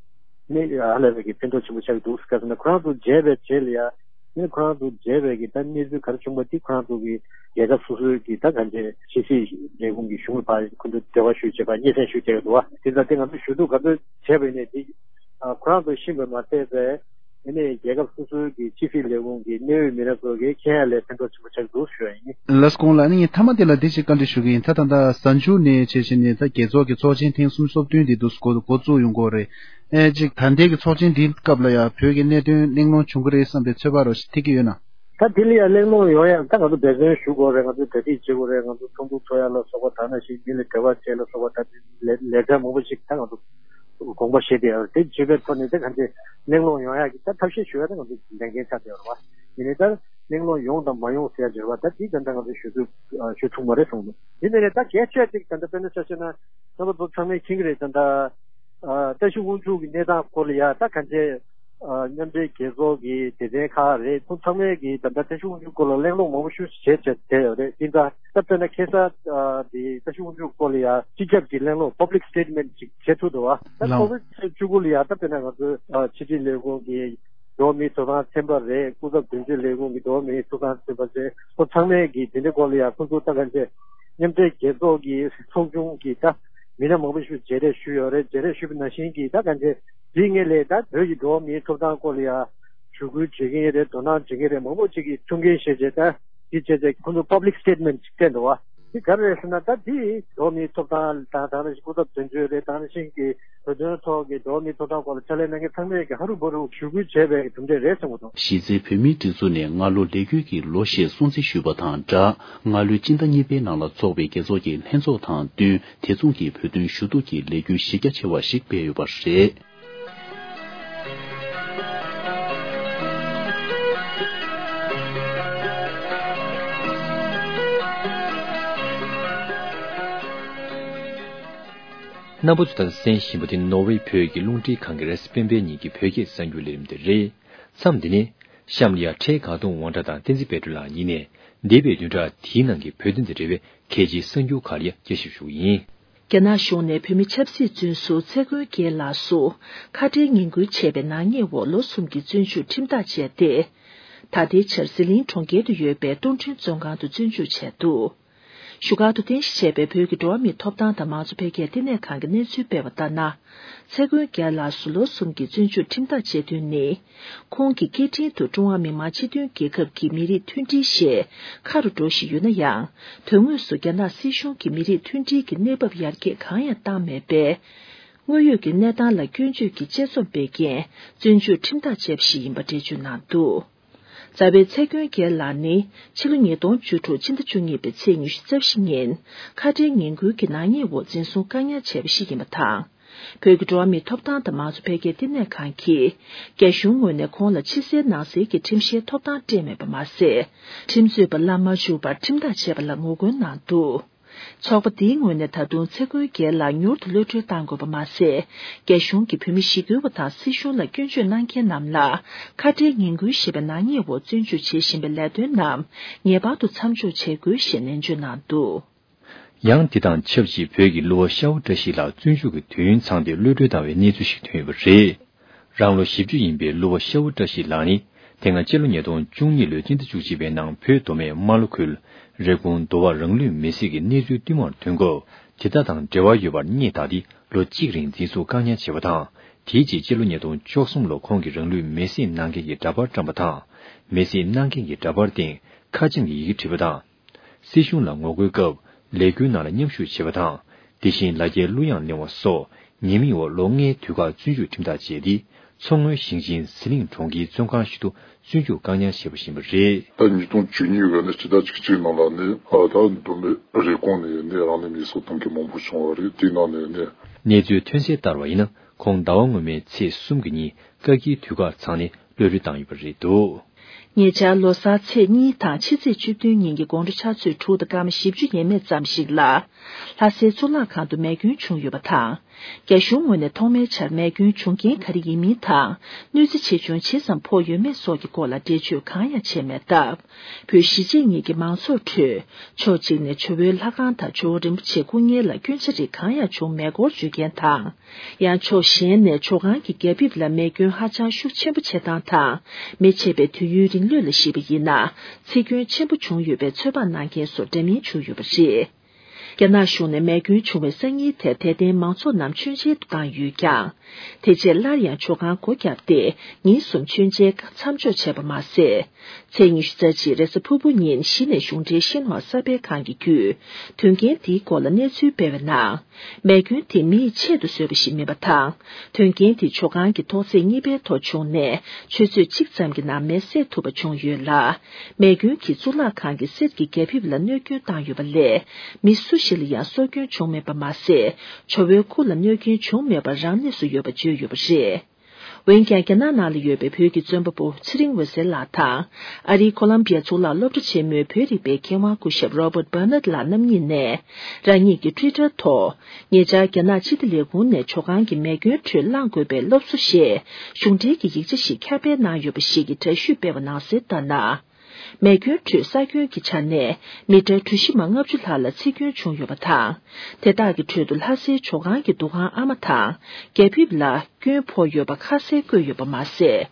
ནི་ཧ་ལས་པའི་གི་ཕན་ཐོགས་ཆེན་པོ་ཆགས་ཀྱི་འདུག་ག་ཟེར་ན་ཁོ་རང་ཚོ་མཇལ་བའི་རྗེས་ལ་ཡང་ཨ་ནི་ཁོ་རང་ཚོ་མཇལ་བའི་གི་ད་གནས་ཚུལ་ག་རེ་བྱུང་བ་དེ་ཁོ་རང་ཚོ་གི་རྒྱལ་ཁབ་སོ་སོའི་གི་ད་གང་ཅི་ཕྱི་སྲིད་ལས་ཁུངས་ཀྱི་གཞུང་ལ་ཕར་ཁོ་ཚོ་འབྲེལ་བ་ཞུ་བྱེད་པ་སྙན་སེང་ཞུ་བྱེད་ཀྱི་འདུག་བ། དེ་ཙང་དེ་ང་ཚོ་ཞུ་གཏུག་ག་ཚོད་བྱས་པ་ཡིན་ནའི་དེ་ཁོ་རང་ཚོ་ཤེས་པ་མ་ཟད་པའི། དེ་ནས་རྒྱལ་ཁབ་སོ་སོའི་གི་ཕྱི་སྲིད་ལས་ཁུངས་ཀྱི་གནད་ཡོད་མི་སྣ་ཚོ་གིས་མཁྱེན་ཡ་ལས་ཕན་ཐོགས་ཆེན་པོ་ཆགས་འདུག་ཞུ་ཡ་ཡིན། ལགས་སོ། ལགས་ནི་ངས་མཐའ་མ་དེ་ལ་འདི་ཞིག་བཀའ་འདྲི་ཞུ་གི་ཡིན། ད་ད་ལྟ་གཟའ་མཇུག་ནས་བྱས་བྱས་ནས་ད་རྒྱལ་ཚོགས་ཀྱི་ཚོགས་ཆེན་ཐེངས་སུམ་ཅུ་སོ་བདུན་འདི་འདུག་འགོ་འགོ་བཙུགས་ཡོང་གི་ཡོད་རེད། ཨེ་ཅིག་ད་ལྟའི་གི་ཚོགས་ཆེན་འདིའི་སྐབས་ལ་ཡང་བོད་ཀྱི་གནད་དོན་གླེང་སློང་བྱུང་གི་རེད་བསམ་པའི་ཚོད་དཔག་རོ་ཞིག་ཐེབས་ཀྱི་ཡོད་ན། ད་དེ་ལ་ཡང་གླེང་སློང་ཡོང་ཡ་ད་ང་ཚོ་འབད་བརྩོན་ཞུ་དགོས་རེད། ང་ཚོ་གྲ་སྒྲིག་བྱེད་དགོས་རེད། ང་ཚོ་ཚོགས་འདུ་ཚོགས་ཡ་ལ་སོགས་པ་ད་ནང་བཞིན་མི་ལ་འབྲེལ་བ་བྱེད་ལ་སོགས་པ་ད་ལས་ལས་ཀ་མང་པོ་ཞིག་ད་ང་ཚོ་དགོངས་པ་བཞེས་བསྡད་ཡོད་རེད། དེ་བྱེད་པའི་ཐོག་ནས་ད་གང་ཅི་གླེང་སློང་ཡོང་ཡག་གི་ད་ཐབས་ཤེས་ཞུ་ཡ་ད་ང་ཚོ་ལས་འགན་ཆགས་བསྡད་ཡོད་རེད་བ། ཡིན་ནའི་ད་གླེང་སློང་ཡོང་དང་མ་ཡོང་ཟེར་ཡ་ཅིག་རེད་བ། ད་དེ་ད་ལྟ་ང་ཚོ་ཞུ་ཚུལ་ཞུ་ཐུབ་མ་རེད་གསུངས་འདུག་ཡིན་ནའི་ད་གལ་ཆེ་ཅིག་ད་ལྟ་དཔེར་ན་ཆ་བཞག་ན་རྣམ་པ་ཚོ་ཚང་མས་མཁྱེན་གྱི་རེད། ད་ལྟ་ཨ་བཀྲ་ཤིས་དབང་ཕྱུག་གི་གནས་སྟངས་སྐོར་ལ་ཡ་ད་གང་ཅི་ཨ་མཉམ་འབྲེལ་རྒྱལ་ཚོགས་ཀྱི་སྡེ་ཚན་ཁག་རེད། ཁོང་ཚང་མས་ཀྱི་ད་ལྟ་བཀྲ་ཤིས་དབང་ཕྱུག་སྐོར་ལ་གླེང་སློང་མང་པོ་ཞིག་བྱས་བྱས་བྱས་ཡོད་རེད། དེ་འདྲ་ད་དཔེར་ན་ཁ་སང་ཨ་དེ་བཀྲ་ཤིས་དབང་ཕྱུག་སྐོར་ལ་ཡ་སྤྱི་ཁྱབ་ཀྱི་གླེང་སློང་public statement་ཅིག་བྱེད་ཐུབ་འདུག་བ། ད་ལགས། ཁོ་བོད་བཅུ་དགུ་ལ་ཡ་ད་དཔེར་ན་ང་ཚོའི་ཨ་ཕྱི་དྲིལ་ལས་ཁུངས་ཀྱི་འགྲོ་བ་མིའི་ཐོབ་ཐང་ཚན་པ་རེད། སྐུ་ཚབ་དོན་གཅོད་ལས་ཁུངས་ཀྱི་འགྲོ་བ་མིའི་ཐོབ་ཐང་ཚན་པ་རེད། ཁོ་ཚང་མས་ཀྱི་དེ་འདྲའི་སྐོར་ལ་ཡ་ཁོ་ཚོ་ད་གང་ཅི་མཉམ་འབྲེལ་རྒྱལ་ཚོགས་ཀྱི་ཚོགས་ཆུང་གི་ད་མི་སྣ་མང་པོ་ཞིག་མཇལ་འཕྲད་ཞུས་ཡོད་རེད། མཇལ་འཕྲད་ཞུས་པ་ནང་བཞིན་གྱི་ད་གང་ཅི་དེའི་སྔོན་ལ་ད་བོད་ཀྱི་འགྲོ་བ་མིའི་ཐོབ་ཐང་སྐོར་ལ་ཡ་ཞུ་སྐུལ་བྱེད་མཁན་རེད། དོ་སྣང་བྱེད་མཁན་རེད། མང་པོ་ཅིག་གིས་ཐུགས་འགན་བཞེས་བྱས་ད་འདི་བྱས་ཚེ་ཁོང་ཚོ་public statement་ཅིག་སྤྲད་འདུག་བ། འདི་ག་རེ་རེད་ཟེར་ན་ད་འདི་འགྲོ་བ་མིའི་ཐོབ་ཐང་དང་དེ་ནང་བཞིན་སྐུ་ཚབ་དོན་གཅོད་རེད། དེ་ནང་བཞིན་གྱི་བོད་དོན་ཐོག་གི་འགྲོ་བ་མིའི་ཐོབ་ཐང་སྐོར་ལ་ཕྱག་ལས་གནང་མཁན་ཚང་མས་ཀྱི་ཧ་རུ་བ་རུ་ཞུ་སྐུལ་བྱས་པའི་གྲུབ་འབྲས་རེད་བསམ་གྱི་འདུག་གཞི་རྩའི་བོད་མིའི་སྒྲིག་འཛུགས་ནས་སྔ་ལོ་ལས་འགུལ་གྱི་ལོ་ཞེས་སྲུང་བརྩི་ཞུས་པ་དང་སྦྲགས། སྔ་ལོའི་སྤྱི་ཟླ་གཉིས་པའི་ནང་ལ་འཚོགས་པའི་རྒྱལ་ཚོགས་ཀྱི་ལྷན་ཚོགས་དང་བསྟུན་དེ་མཚུངས་ཀྱི་བོད་དོན་ཞུ་གཏུག་གི་ལས་འགུལ་གཞི་རྒྱ་ཆེ་བ་ཞིག་སྤེལ་ཡོད་པ་རེད། རྣམ་པ་ཚོ་ད་ལྟ་གསན་བཞིན་པ་དེ་ནོར་ཝེ་བོད་ཀྱི་རླུང་འཕྲིན་ཁང་གི་རེས་སྤེན་པའི་ཉིན་གྱི་བོད་སྐད་གསར་འགྱུར་ལས་རིམ་དེ་རེད། མཚམས་འདི་ནས་གཤམ་ལ་ཡ་འཕྲལ་གར་གཏོང་ཝང་ཊ་དང་བསྟན་འཛིན་དཔལ་སྒྲོན་ལགས་གཉིས་ནས་འདས་པའི་བདུན་ཕྲག་དེའི་ནང་གི་བོད་དོན་དང་འབྲེལ་བའི་གལ་ཆེའི་གསར་འགྱུར་ཁག་ལ་ཡ་དཔྱད་ཞིབ་ཞུ་གི་ཡིན། རྒྱ་ནག་གཞུང་ནས་བོད་མི་ཆབ་སྲིད་བཙོན་ཟུར་ཚེ་མགོན་རྒྱལ་ལགས་སུ་ཁ་བྲལ་ངན་སྐུལ་བྱས་པའི་ནག་ཉེས་འོག་ལོ་གསུམ་གྱི་བཙོན་འཇུག་ཁྲིམས་ཐག་བཅད་དེ། ད་ལྟའི་ཆར་ཟི་ལིང་གྲོང་ཁྱེར་དུ་ཡོད་པའི་སྟོང་ཁྲོན་བཙོན་ཁང་དུ་བཙོན་འཇུག་བྱས་འདུག་བཞུགས་སྒར་དུ་རྟེན་གཞི་བྱས་པའི་བོད་ཀྱི་འགྲོ་བ་མིའི་ཐོབ་ཐང་དང་མང་གཙོ་འཕེལ་རྒྱས་ལྟེ་གནས་ཁང་གིས་གནས་ཚུལ་སྤེལ་བ་ལྟར་ན། ཚེ་མགོན་རྒྱལ་ལགས་སུ་ལོ་གསུམ་གྱི་བཙོན་འཇུག་ཁྲིམས་ཐག་བཅད་དོན་ནི། ཁོང་གི་སྐད་འཕྲིན་དུ་ཀྲུང་ཧྭ་མི་དམངས་སྤྱི་མཐུན་རྒྱལ་ཁབ་ཀྱི་མི་རིགས་མཐུན་སྒྲིལ་ཞེས་ཁ་རུ་འགྲོ་བཞིན་ཡོད་ན་ཡང་། དོན་དངོས་སུ་རྒྱ་ནག་སྲིད་གཞུང་གིས་མི་རིགས་མཐུན་སྒྲིལ་གྱི་གནས་བབ་ཡར་རྒྱས་གང་ཡང་བཏང་མེད་པས། དངོས་ཡོད་ཀྱི་གནས་སྟངས་ལ་སྐྱོན་བརྗོད་ཀྱི་དཔྱད་རྩོམ་སྤེལ་རྐྱེན་བཙོན་འཇུག་ཁྲིམས་ཐག་བཅད་པ་ཞིག་ཡིན་པ་འགྲེལ་བརྗོད་གནང་འདུག་རྩ་བའི་ཚེ་མགོན་རྒྱལ་ལགས་ནི་ཕྱི་ལོ་ཉིས་སྟོང་བཅུ་དྲུག་ཕྱི་ཟླ་བཅུ་གཉིས་པའི་ཚེས་ཉི་ཤུ་རྩ་བཞི་ཉིན་ཁ་བྲལ་ངན་སྐུལ་གྱི་ནག་ཉེས་འོག་འཛིན་བཟུང་བཀག་ཉར་བྱས་པ་ཞིག་ཡིན་པ་དང་། བོད་ཀྱི་འགྲོ་བ་མིའི་ཐོབ་ཐང་དང་མང་གཙོ་འཕེལ་རྒྱས་ལྟེ་གནས་ཁང་གིས་རྒྱ་གཞུང་ངོས་ནས་ཁོང་ལ་ཕྱི་གསལ་ནང་གསལ་གྱི་ཁྲིམས་བཤེར་ཐོབ་ཐང་སྤྲད་མེད་པ་མ་ཟད། ཁྲིམས་རྩོད་པ་བླ་མ་བཅུག་པར་ཁྲིམས་ཐག་བཅད་པ་ལ་ངོ་རྒོལ་གནང་འདུག་ཚོགས་པ་འདིའི་ངོས་ནས་ད་དུང་ཚེ་མགོན་རྒྱལ་ལགས་མྱུར་དུ་གློད་གྲོལ་གཏང་དགོས་པ་མ་ཟད། རྒྱ་གཞུང་གིས་བོད་མི་ཞི་རྒོལ་བ་དང་སྲིད་གཞུང་ལ་སྐྱོན་བརྗོད་གནང་མཁན་རྣམས་ལ་ཁ་བྲལ་ངན་སྐུལ་ཞེས་པའི་ནག་ཉེས་འོག་བཙོན་འཇུག་བྱེད་བཞིན་པའི་ལས་དོན་རྣམས་ངེས་པར་དུ་མཚམས་འཇོག་བྱེད་དགོས་ཞེས་ནན་བརྗོད་གནང་འདུག་ཡང་དེ་དང་ཆབས་ཅིག་བོད་ཀྱི་གླུ་བ་ཤ་བོ་བཀྲ་ཤིས་ལགས་བཙོན་འཇུག་གི་དུས་ཡུན་ཚང་སྟེ་གློད་གྲོལ་བཏང་བའི་གནས་ཚུལ་ཞིག་ཐོན་ཡོད་པ་རེད། རང་ལོ་བཞི་བཅུ་ཡིན་པའི་གླུ་བ་ཤ་བོ་བཀྲ་ཤིས་ལགས་ནི་དེ་སྔ་སྤྱི་ལོ་ཉིས་སྟོང་བཅུ་གཉིས་ལོའི་སྤྱི་ཟླ་བཅུ་གཅིག་པའི་ནང་བོད་མདོ་སྨད་རྨ་ལྷོ་ཁུལ་རེབ་གོང་མདོ་བར་རང་ལུས་མེར་སྲེག་གི་གནས་ཚུལ་བསྟུད་མར་ཐོན་སྐབས་དེ་དག་དང་འབྲེལ་བ་ཡོད་པར་རྙེད་དག་སྟེ་ལོ་གཅིག་རིང་འཛིན་བཟུང་བཀག་ཉར་བྱས་པ་དང་། དེའི་རྗེས་སྤྱི་ལོ་ཉིས་སྟོང་བཅུ་གསུམ་ལོར་ཁོང་གིས་རང་ལུས་མེར་སྲེག་གནང་མཁན་གྱི་འདྲ་པར་བཀྲམ་པ་དང་། མེར་སྲེག་གནང་མཁན་གྱི་འདྲ་པར་སྟེང་ཁ་ཆེམས་ཀྱི་ཡི་གེ་བྲིས་པ་དང་། སྲིད་གཞུང་ལ་ངོ་རྒོལ་སྐབས་ལས་འགུལ་ནང་ལ་མཉམ་ཞུགས་བྱས་པ་དང་། དེ་བཞིན་ལ་རྒྱའི་གླུ་དབྱངས་ལེན་པ་སོགས་ཉེས་མིང་འོག་ལོ་ལྔའི་དུས་བཀག་བཙོན་འཇུག་ཁྲིམས་ཐག་བཅད་དེ། མཚོ་སྔོན་ཞིང་ཆེན་ཟི་ལིང་གྲོང་ཁྱེར་བཙོན་ཁང་ཞིག་ཏུ་བཙོན་འཇུག་བཀག་ཉར་བྱས་པ་ཞིག་ཡིན་པ་རེད། ད་ཉིས་སྟོང་བཅུ་གཉིས་ཀྱི་ནི་སྤྱི་ཟླ་བཅུ་གཅིག་ནང་ལ་ནི་ད་མདོ་སྨད་རེབ་གོང་ནས་ནི་རང་ལུས་མེར་སྲེག་གཏོང་མཁན་མང་པོ་བྱུང་བ་རེད། དེའི་ནང་ནས་ནི། གནས་ཚུལ་ཐོན་གསལ་ལྟར་བ་ཡིན་ན། ཁོང་ཟླ་བ་སྔོན་མའི་ཚེས་གསུམ་གྱི་ཉིན་བཀག་སྐྱིལ་དུས་བཀག་ཚང་ནས་གློད་གྲོལ་བཏང་ཡོད་པ་རེད་འདུག་ཉེ་ཆར་ལོ་གསར་ཚེས་གཉིས་དང་ཕྱི་ཚེས་བཅུ་བདུན་ཉིན་གྱི་དགོང་དྲོ་ཕྱག་ཚོད་དྲུག་དང་སྐར་མ་བཞི་བཅུ་ཡས་མས་ཙམ་ཞིག་ལ། ལྷ་སའི་གཙུག་ལག་ཁང་དུ་མེ་སྐྱོན་བྱུང་ཡོད་པ་དང་། རྒྱ་གཞུང་ངོས་ནས་ཐོག་མའི་ཆར་མེ་སྐྱོན་བྱུང་རྐྱེན་ག་རེ་ཡིན་མིན་དང་། གནོད་འཚེ་ཆེ་ཆུང་ཇི་ཙམ་ཕོག་ཡོད་མེད་སོགས་ཀྱི་སྐོར་ལ་འགྲེལ་བརྗོད་གང་ཡང་བྱས་མེད་སྟབས། བོད་གཞིས་བྱེས་གཉིས་ཀྱི་མང་ཚོགས་ཁྲོད། ཕྱོགས་གཅིག་ནས་ཇོ་བོའི་ལྷ་ཁང་དང་ཇོ་བོ་རིན་པོ་ཆེའི་སྐུ་བརྙན་ལ་སྐྱོན་ཆ་རིགས་གང་ཡང་བྱུང་མེད་སྐོར་བརྗོད་མཁན་དང་། ཡང་ཕྱོགས་གཞན་ནས་ཇོ་ཁང་གི་རྒྱ་ཕིབས་ལ་མེ་སྐྱོན་ཧ་ཅང་ཤུགས་ཆེན་པོ་བྱེད་སྟངས་དང་། མེ་མཆེད་པའི་དུས་ཡུན་རིང་ལོས་ལ་གཞིགས་པ་ཡིན་ན། འཚིག་སྐྱོན་ཆེན་པོ་བྱུང་ཡོད་པའི་ཚོད་དཔག་གནང་མཁན་སོགས་འདྲ་མིན་བྱུང་ཡོད་པ་རེད། རྒྱ་ནག་གཞུང་ནས་མེ་སྐྱོན་བྱུང་བའི་སང་ཉིན་དེར་དད་ལྡན་མང་ཚོགས་རྣམས་མཆོད་མཇལ་དུ་བཏང་ཡོད་ཀྱང་། དེ་རྗེས་སླར་ཡང་ཇོ་ཁང་སྒོ་བརྒྱབ་སྟེ་ཉིན་གསུམ་མཆོད་མཇལ་མཚམས་འཇོག་བྱས་པ་མ་ཟད། ཚེས་ཉི་ཤུ་རྩ་གཅིག་རེས་གཟའ་ཕུར་བུ་ཉིན་གཞི་ནས་གཞུང་འབྲེལ་ཤིན་ཧྭ་གསར་སྤེལ་ཁང་གི་བརྒྱུད། དོན་རྐྱེན་འདིའི་སྐོར་ལ་གནས་ཚུལ་སྤེལ་བའི་ནང་། མེ་སྐྱོན་དེ་མི་ཡིས་ཆེད་དུ་བཟོས་པ་ཞིག་མིན་པ་དང་། དོན་རྐྱེན་དེ་ཇོ་ཁང་གི་ཐོག་ཚད་གཉིས་པའི་ཐོག་བྱུང་ནས་ཆུ་ཚོད་གཅིག་ཙམ་གྱི་ནང་མེ་བསད་ཐུབ་པ་བྱུང་ཡོད་ལ། མེ་སྐྱོན་གྱིས་གཙུག་ལག་ཁང་གི་གསེར་གྱི་རྒྱ་ཕིབས་ལ་གནོད་སྐྱོན་བཏང་ཡོད་པ་ལས། མི་སུ་ཞིག་ལ་ཡང་སྲོག་སྐྱོན་བྱུང་མེད་པ་མ་ཟད། ཇོ་བོའི་སྐུ་ལ་གནོད་སྐྱོན་བྱུང་མེད་པར་རང་གནས་སུ་ཡོད་པ་བརྗོད་ཡོད་པ་རེད། འོན་ཀྱང་། རྒྱ་ནག་ནང་ལ་ཡོད་པའི་བོད་ཀྱི་བཙོན་པ་པོ་ཚེ་རིང་འོད་ཟེར་ལགས་དང་། ཨ་རིའི་ཁོ་ལམ་བི་ཡ་གཙུག་ལག་སློབ་གྲྭ་ཆེན་མོའི་བོད་རིག་པའི་མཁས་དབང་སྐུ་ཞབས་Robert Bernard ལགས་རྣམ་གཉིས་ནས། རང་ཉིད་ཀྱི་Twitter ཐོག་ཉེ་ཆར་རྒྱ་ནག་སྤྱི་བདེ་ལས་ཁུངས་ནས་ཇོ་ཁང་གི་མེ་སྐྱོན་ཁྲོད་བླང་དགོས་པའི་སློབ་གསོ་ཞེས་གཞུང་འབྲེལ་གྱི་ཡིག་ཆ་ཞིག་ཁྱབ་སྤེལ་གནང་ཡོད་པ་ཞིག་གི་འདྲ་བཤུས་སྤེལ་བ་ནང་གསལ་ལྟར་ན། མེ་སྐྱོན་ཁྲོད་ས་ཁྱོན་གྱི་ཆ་ནས་མི་ཊར་གྲུ་བཞི་མ་ལྔ་བཅུ་ལྷག་ལ་འཚིག་སྐྱོན་བྱུང་ཡོད་པ་དང་། དེ་དག་གི་ཁྲོད་དུ་ལྷ་སའི་ཇོ་ཁང་གི་འདུ་ཁང་ཨ་མ་དང་རྒྱ་ཕིབས་ལ་སྐྱོན་ཕོག་ཡོད་པ་ཁ་གསལ་བཀོད་ཡོད་པ་མ་ཟད།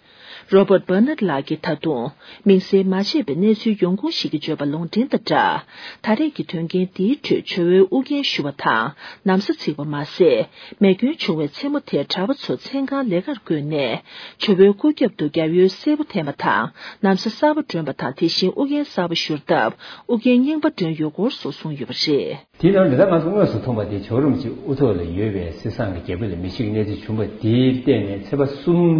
Robert Bernard ལགས་ཀྱིས་ད་དུང་མིང་གསལ་མ་བྱས་པའི་གནས་ཚུལ་ཡོང་ཁུངས་ཤིག་གིས་བརྗོད་པ་ལུང་འདྲེན་དང་སྦྲགས། ད་རེས་ཀྱི་དོན་རྐྱེན་འདིའི་ཁྲོད་ཇོ་བོའི་དབུ་རྒྱན་ཞུ་བ་དང་ན་བཟའ་འཚིག་པ་མ་ཟད། མེ་སྐྱོན་བྱུང་བའི་མཚན་མོ་དེར་གྲྭ་པ་ཚོ་མཚན་གང་ལས་ཀར་བསྐོས་ནས། ཇོ་བོའི་སྐུ་རྒྱབ་ཏུ་རྒྱབ་ཡོལ་སེར་པོ་འཐེན་པ་དང་། ན་བཟའ་གསར་པ་སྒྲོན་པ་དང་། དེ་བཞིན་དབུ་རྒྱན་གསར་པ་བཞུར་སྟབས། དབུ་རྒྱན་རྙིང་པ་སྒྲོན་ཡོད་སྐོར་སོགས་གསུངས་ཡོད་པ་རེད། དེའི་ནང་ལ་ད་ང་ཚོ་དངོས་སུ་མཐོང་བ་དེ་ཇོ་བོ་རིན་པོ་ཆེ་དབུ་ཐོག་ལ་ཡོད་པའི་གསེར་ཟངས་ཀྱི་རྒྱ་ཕིབས་ལ་མེ་ཤིག་གནས་ཚུལ་བྱུང་བ་དེའི་སྟེང་ནས་ཚེས་པ་གསུམ་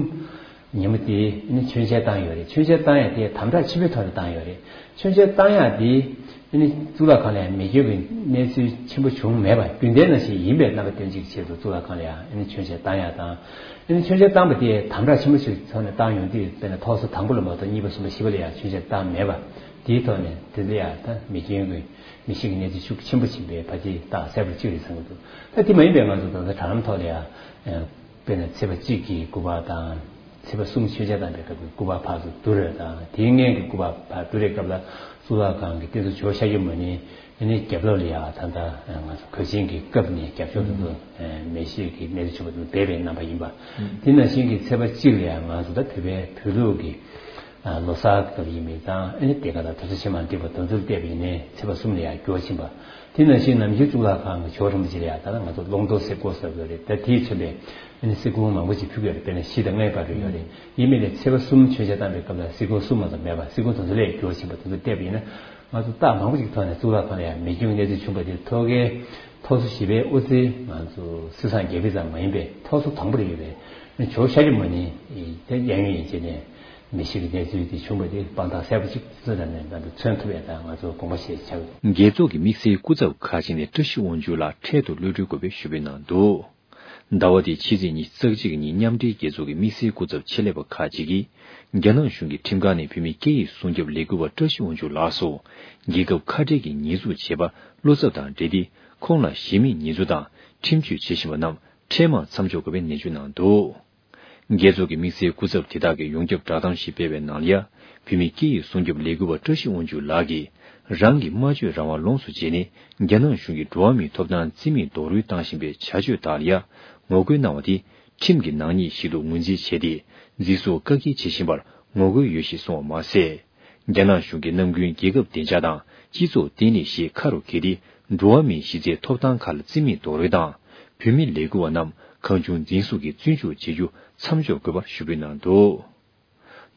ཉིན་མོ་དེ་ནི་མཆོད་མཇལ་བཏང་ཡོད་རེད། མཆོད་མཇལ་བཏང་ཡ་དེ་དམ་དྲག་ཆེན་པོའི་ཐོག་ནས་བཏང་ཡོད་རེད། མཆོད་མཇལ་བཏང་ཡ་དེ་ནི་གཙུག་ལག་ཁང་ལ་ཡང་མེ་སྐྱོན་གྱི་གནས་ཚུལ་ཆེན་པོ་བྱུང་མེད་པ། རྒྱུན་ལྡན་ནང་བཞིན་ཡིན་པའི་རྣམ་པ་སྟོན་ཅིག་ཆེད་དུ་གཙུག་ལག་ཁང་ལ་ཡང་ནི་མཆོད་མཇལ་བཏང་ཡ་དང་། ནི་མཆོད་མཇལ་བཏང་པ་དེ་དམ་དྲག་ཆེན་པོ་ཞིག་ཐོག་ནས་བཏང་ཡོང་དུས། དཔེར་ན་ཐོག་སོ་དང་པོ་ལ་མ་གཏོགས་གཉིས་པ་གསུམ་པ་བཞི་པ་ལ་ཡང་མཆོད་མཇལ་བཏང་མེད་པ། དེའི་ཐོག་ནས་དེ་ཚོ་ཡང་ད་མེ་སྐྱོན་གྱི་མེ་ཤིག་གི་གནས་ཚུལ་ཤུགས་ཆེན་པོ་ཕྱིན་པའི་ཕལ་ཆེར་རྟགས་གསལ་པོ་གཅིག་རེད་བསམ་གྱི་འདུག་ད་དེ་མ་ཡིན་པའི་ང་ཚོ་ད་ལྟ་དྲ་ལམ་ཐོག་ལ་ཡང་དཔེར་ན་ཚེས་པ་གཅིག་གི་དགུ་པ་དང་ ཚེས་པ་གསུམ་མཆོད་ཆ་བཏང་པའི་སྐབས་ཀྱི་སྐུ་པར་ཕར་ཚུར་བསྡུར་རེད་དང་། དེའི་སྔོན་གྱི་སྐུ་པར་ཕར་བསྡུར་རེས་སྐབས་ལ་གཙུག་ལག་ཁང་གི་རྟེན་གཙོ་ཇོ་བོ་ཤཱཀྱ་མུ་ནེ་ཨ་ནི་རྒྱབ་ལོགས་ལ་ཡ་ད་ལྟ་ང་ཚོ་གོས་ཆེན་གྱི་སྐབས་ནས་རྒྱབ་ཕྱོགས་དུ་མེ་ཤེལ་གྱི་གནས་ཚུལ་བྱུང་བ་དེ་སྦས་པའི་རྣམ་པ་ཡིན་པ། དེ་ནང་བཞིན་གྱི་ཚེས་པ་གཅིག་ལ་ཡང་ང་ཚོ་ད་བོད་པའི་བོད་ལུགས་ཀྱི་ལོ་གསར་སྐབས་ཡིན་པའི་ཙང་ཨ་ནི་དེ་ག་ད་དུས་ཚོད་ཕྱེ་མར་འདེབས་པ་དོན་ཚུལ་བལྟས་པ་ཡིན་ནའི་ཚེས་པ་གསུམ་ལ་ཡང་འགྱུར་བ་ཕྱིན་པ། དེ་ནང་བཞིན་ནམ་རྒྱུན་གཙུག་ལག་ཁང་གི་ཇོ་བོ་རིན་པོ་ཆེ་ལ་ཡང་ད་ལྟ་ང་ཚོ་ཀློང་རྡོལ་ཟེར་སྐོར་ཟེར་དགོས་རེད། ད་དེས་མཚོན་པའི་ཨ་ནི་གསེར་ཁུང་མང་པོ་ཅིག་ཕུལ་གྱི་ཡོད་རེད། དཔེར་ན་བཞི་དང་ལྔའི་བར་དུ་ཡོད་རེད། ཡིན་མིན་ལས་ཚེས་པ་གསུམ་མཆོད་ཆ་བཏང་པའི་སྐབས་ལ་གསེར་ཁུང་གསུམ་མ་གཏོགས་མེད་པ། གསེར་ཁུང་དེ་ཚོ་ལས་འགྱུར་བ་ཕྱིན་པ་དེ་ཚོ་བལྟས་པ་ཡིན་ན། ང་ཚོ་རྟགས་མང་པོ་ཞིག་ཐོག་ནས་གཙུག་ལག་ཁང་ལ་ཡང་མེ་སྐྱོན་གྱི་གནས་ཚུལ་བྱུང་བ་དེ་ཐོག་ཁའི་ཐོག་སོ་བཞི་པའི་དབུ་རྩེ་ང་ཚོ་སྲིད་སངས་རྒྱས་པའི་ཙམ་མ་ཡིན་པའི་ཐོག་སོ་དང་པོ་རེད་ཡོད་པས། ཇོ་བོ་ཤཱཀྱ་མུ་ནེ་དེ་གཡས་གཡོན་ཡན་ཆད་ནས་མེ་ཤེལ་གྱི་གནས་ཚུལ་དེ་བྱུང་བ་དེ་དཔང་རྟགས་གསལ་པོ་ཅིག་ཚོད་ལ་ནས་ང་ཚོ་མཚོན་ཐུབ་ཡས་དང་ང་ཚོ་དགོངས་པ་བཞེས་བྱ། རྒྱལ་ཚོགས་ཀྱི་དམིགས་བསལ་སྐུ་ཚབ་ཁག་ཅིག་ནས་བཀྲ་ཤིས་དབང་ཕྱུག་ལགས་འཕྲལ་དུ་གློད་གྲོལ་དགོས་པའི་ཞུ་འབོད་གནང་འདུག་ཟླ་བ་འདིའི་ཕྱི་ཚེས་ཉི་ཤུ་རྩ་གཅིག་ཉིན་མཉམ་འབྲེལ་རྒྱལ་ཚོགས་ཀྱི་དམིགས་བསལ་སྐུ་ཚབ་ཆེད་ལས་པ་ཁག་ཅིག་གིས། རྒྱ་ནག་གཞུང་གི་ཁྲིམས་ཁང་ནས་བོད་མིའི་སྐད་ཡིག་སྲུང་སྐྱོབ་ལས་འགུལ་བ་བཀྲ་ཤིས་དབང་ཕྱུག་ལགས་སུ། རྒྱལ་ཁབ་ཁ་བྲལ་གྱི་ཉེས་འཛུགས་བྱས་པ་བློ་འཚབ་དང་འབྲེལ་ཏེ། ཁོང་ལ་གཞི་མེད་ཉེས་འཛུགས་དང་ཁྲིམས་གཅོད་བྱེད་བཞིན་པ་རྣམས་འཕྲལ་མར་མཚམས་འཇོག་དགོས་པའི་ནན་བརྗོད་གནང་འདུག་རྒྱལ་ཚོགས་ཀྱི་དམིགས་བསལ་སྐུ་ཚབ་དེ་དག་གིས་ཡོངས་ཁྱབ་བསྒྲགས་གཏམ་ཞིག་སྤེལ་བའི་ནང་ལ་ཡ། བོད་མིའི་སྐད་ཡིག་སྲུང་སྐྱོབ་ལས་འགུལ་བ་བཀྲ་ཤིས་དབང་ཕྱུག་ལགས་ཀྱིས། རང་གི་སྨྲ་བརྗོད་རང་དབང་ལོངས་སུ་སྤྱད་ནས། རྒྱ་ནག་གཞུང་གིས་འགྲོ་བ་མིའི་ཐོབ་ཐང་རྩིས་མེད་རྡོག་རོལ་བཏང་བཞིན་པའི་བྱ་སྤྱོད་དག་ལ་ཡ། ངོ་རྒོལ་གནང་བ་དེ། ཁྲིམས་ཀྱི་ནག་ཉེས་ཤིག་ཏུ་ངོས་འཛིན་བྱས་ཏེ། འཛིན་བཟུང་བཀག་སྐྱིལ་བྱེད་བཞིན་པར་ངོ་རྒོལ་ཡོད་ཞེས་གསུངས་པ་མ་ཟད། རྒྱ་ནག་གཞུང་གིས་ནམ་རྒྱུན་རྒྱལ་ཁབ་བདེ་འཇགས་དང་སྤྱི་ཚོགས་བརྟན་ལྷིང་ཞེས་ཁ་རུ་འཁྱེར་ཏེ། འགྲོ་བ་མིའི་གཞི་རྩའི་ཐོབ་ཐང་ཁག་ལ་རྩིས་མེད་རྡོག་རོལ་དང་། བོད་མི་ལས་འགུལ་བ་རྣམས་གང་བྱུང་འཛིན་བཟུང་གིས་བཙོན་འཇུག་བྱེད་རྒྱུ་མཚམས་འཇོག་དགོས་པར་ཞུ་འབོད་གནང་འདུག་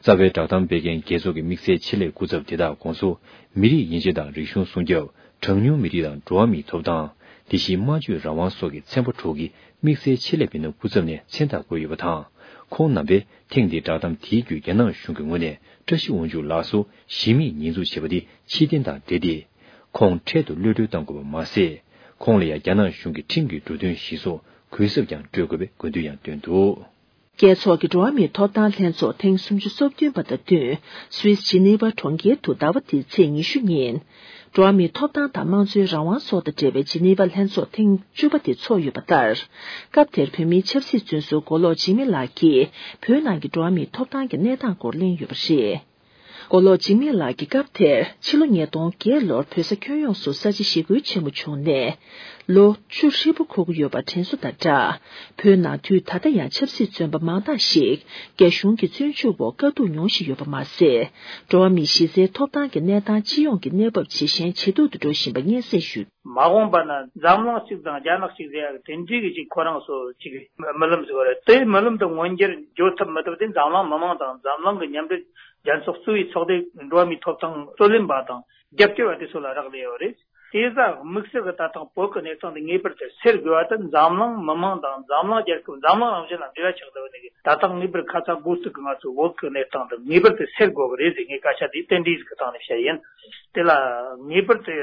རྩ་བའི་བསྒྲགས་གཏམ་སྤེལ་མཁན་རྒྱལ་ཚོགས་ཀྱི་དམིགས་བསལ་ཆེད་ལས་སྐུ་ཚབ་དེ་དག་དགོངས་སུ། མི་རིགས་ཡན་ཆད་དང་རིག་གཞུང་སྲུང་སྐྱོབ། གྲངས་ཉུང་མི་རིགས་དང་འགྲོ་བ་མིའི་ཐོབ་ཐང་། དེ་བཞིན་སྨྲ་བརྗོད་རང་དབང་སོགས་ཀྱི་ཚན་པ་དྲུག་གི་དམིགས་བསལ་ཆེད་ལས་མི་སྣ་སྐུ་ཚབ་ནས་མཚན་རྟགས་བཀོད་ཡོད་པ་དང་། ཁོང་རྣམ་པས་ཐེངས་འདིའི་བསྒྲགས་གཏམ་དེའི་བརྒྱུད་རྒྱ་ནག་གཞུང་གི་ངོས་ནས་བཀྲ་ཤིས་དབང་ཕྱུག་ལགས་སུ་གཞི་མེད་ཉེས་འཛུགས་བྱས་པ་དེ་ཕྱིར་འཐེན་དང་འབྲེལ་ཏེ། ཁོང་འཕྲལ་དུ་གློད་གྲོལ་གཏང་དགོས་པ་མ་ཟད། ཁོང་ལ་ཡང་རྒྱ་ནག་གཞུང་གི་ཁྲིམས་ཀྱི་འབྲུ་དོན་གཞིར་བཟུང་གུས་ཞབས་ཀྱང་སྤྲོད་དགོས་པའི་དགོས་འདུན་ཡང་བཏོན་འདུག་རྒྱལ་ཚོགས་ཀྱི་འགྲོ་བ་མིའི་ཐོབ་ཐང་ལྷན་ཚོགས་ཐེངས་སུམ་ཅུ་སོ་བདུན་པ་དང་བསྟུན། སུད་སི་ཇི་ནི་ཝ་གྲོང་ཁྱེར་དུ་ཟླ་བ་འདིའི་ཚེས་ཉི་ཤུ་ཉིན། འགྲོ་བ་མིའི་ཐོབ་ཐང་དང་དམངས་གཙོའི་རང་དབང་སོགས་དང་འབྲེལ་བའི་ཇི་ནི་ཝ་ལྷན་ཚོགས་ཐེངས་བཅུ་པ་དེ་ཚོགས་ཡོད་པ་ལྟར། སྐབས་དེར་བོད་མིའི་ཆབ་སྲིད་བཙོན་ཟུར་མགོ་ལོག་འཇིགས་མེད་ལགས་ཀྱིས་བོད་ནང་གི་འགྲོ་བ་མིའི་ཐོབ་ཐང་གི་གནས་སྟངས་སྐོར་གླེང་ཡོད་པ་རེད། མགོ་ལོག་འཇིགས་མེད་ལགས་ཀྱིས་སྐབས་དེར་ཕྱི་ལོ་ཉིས་སྟོང་བརྒྱད་ལོར་བོད་ས་ཁྱོན་ཡོངས་སུ་ས་བྱི་ཞི་རྒོལ་ཆེན་མོ་བྱུང་ནས། ལོ་བཅུ་ཧྲིལ་པོ་འཁོར་གྱི་ཡོད་པ་དྲན་གསོ་དང་སྦྲགས། བོད་ནང་དུས་ད་ལྟ་ཡང་ཆབ་སྲིད་བཙོན་པ་མང་དག་ཞིག་རྒྱ་གཞུང་གི་བཙོན་འཇུག་འོག་དཀའ་སྡུག་མྱོང་བཞིན་ཡོད་པ་མ་ཟད། འགྲོ་བ་མིའི་གཞི་རྩའི་ཐོབ་ཐང་གི་གནས་སྟངས་སྤྱི་ཡོངས་ཀྱི་གནས་བབ་ཇེ་ཞན་ཇེ་སྡུག་ཏུ་འགྲོ་བཞིན་པ་སྙན་སེང་ཞུས། མ་འོངས་པ་ན་འཛམ་གླིང་གཅིག་དང་རྒྱ་ནག་གཅིག་ཟེར་ཡག་དེ་འདྲའི་གི་ཅིག་ཁོ་རང་ཚོ་ཅིག་རྨི་ལམ་ཟིག་རེད། དེ་རྨི་ལམ་དེ་མངོན་འགྱུར་འགྱུར་ཐབས་མི་ཐུབ་དེ་འཛམ་གླིང་མི་མང་དང་འཛམ་གླིང་གི་མཉམ་འབྲེལ་རྒྱལ་ཚོགས་གཙོས་པའི་ཚོགས་སྡེ་འགྲོ་བ་མིའི་ཐོབ་ཐང་རྩོད་ལེན་པ་དང་རྒྱབ་སྐྱོར་བ་དེ་ཚོ་ལ་རག་ལས་ཡོད་རེད། དེ་ཟ་དམིགས་བསལ་གྱི་ད་ཐེངས་བོད་ཀྱི་གནས་སྟངས་དེ་ངེས་པར་དུ་སེལ་དགོས་པ་དེ་འཛམ་གླིང་མི་མང་དང་འཛམ་གླིང་རྒྱལ་ཁབ་འཛམ་གླིང་རང་བཞིན་ལ་འབྲེལ་བ་ཆགས་བསྡད་པ་ནས་ད་ཐེངས་ངེས་པར་ཁ་ཚ་དགོས་གཏུག་གི་ང་ཚོའི་བོད་ཀྱི་གནས་སྟངས་དེ་ངེས་པར་དུ་སེལ་དགོས་ཀྱི་རེད་ཟེར་ངས་སྐད་ཆ་དེ་རྟེན་འབྲེལ་ཟིག་གི་སྟེང་ནས་བཤད་ཡིན། དེ་ལ་ངེས་པར་དུ་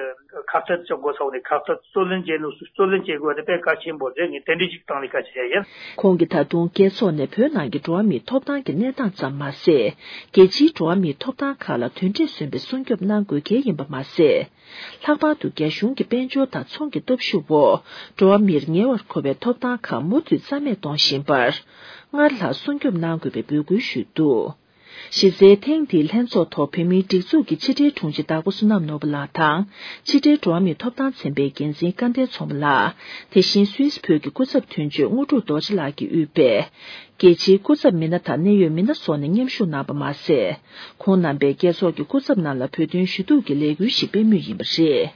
ཁ་གཏད་གཅོག་དགོས་ས་ནས་ཁ་གཏད་རྩོད་ལེན་བྱེད་ནུས་སུ་རྩོད་ལེན་བྱེད་དགོས་དེ་དཔེ་གལ་ཆེན་པོ་རེད། ངས་དེ་འདྲའི་ཅིག་སྟེང་ནས་སྐད་ཆ་བཤད་ཡིན། ཁོང་གིས་ད་དུང་རྒྱལ་ཚོགས་ནས་བོད་ནང་གི་འགྲོ་བ་མིའི་ཐོབ་ཐང་གི་གནས་སྟངས་ཙམ་མ་ཟད། རྒྱལ་སྤྱིའི་འགྲོ་བ་མིའི་ཐོབ་ཐང་ཁག་ལ་དོན་འབྲས་སོན་པའི་སྲུང་སྐྱོབ་གནང་དགོས་གལ་ཡིན་པ་མ་ཟད། ལྷག་པར་དུ་རྒྱ་གཞུང་གི་དཔལ་འབྱོར་དང་ཚོང་གི་སྟོབས་ཤུགས་འོག་འགྲོ་བ་མིར་ཉེ་བར་མཁོ་བའི་ཐོབ་ཐང་ཁག་མུ་མཐུད་རྩ་མེད་གཏོང་བཞིན་པར། སྔར་ལྷག་སྲུང་སྐྱོབ་གནང་དགོས་པའི་འབོད་སྐུལ་ཞུས་འདུག་གཞི་རྩའི་ཐེངས་འདིའི་ལྷན་ཚོགས་ཐོག་བོད་མིའི་སྒྲིག་འཛུགས་ཀྱི་ཕྱི་དྲིལ་དྲུང་ཆེ་དྭགས་པོ་བསོད་ནམས་ནོར་བུ་ལགས་དང་། ཕྱི་དྲིལ་འགྲོ་བ་མིའི་ཐོབ་ཐང་ཚན་པའི་འགན་འཛིན་སྐལ་ལྡན་མཚོ་མོ་ལགས། དེ་བཞིན་སུད་སི་བོད་ཀྱི་སྐུ་ཚབ་དོན་གཅོད་དངོས་གྲུབ་རྡོ་རྗེ་ལགས་ཀྱིས་དབུས་པའི་རྒྱལ་སྤྱིའི་སྐུ་ཚབ་མི་སྣ་དང་གནད་ཡོད་མི་སྣ་སོགས་ནས་མཉམ་ཞུགས་གནང་པ་མ་ཟད། ཁོང་རྣམ་པས་རྒྱལ་ཚོགས་ཀྱི་སྐུ་ཚབ་རྣམས་ལ་བོད་དོན་ཞུ་གཏུག་གི་ལས་འགུལ་ཞིག་སྤེལ་མུས་ཡིན་པ་རེད།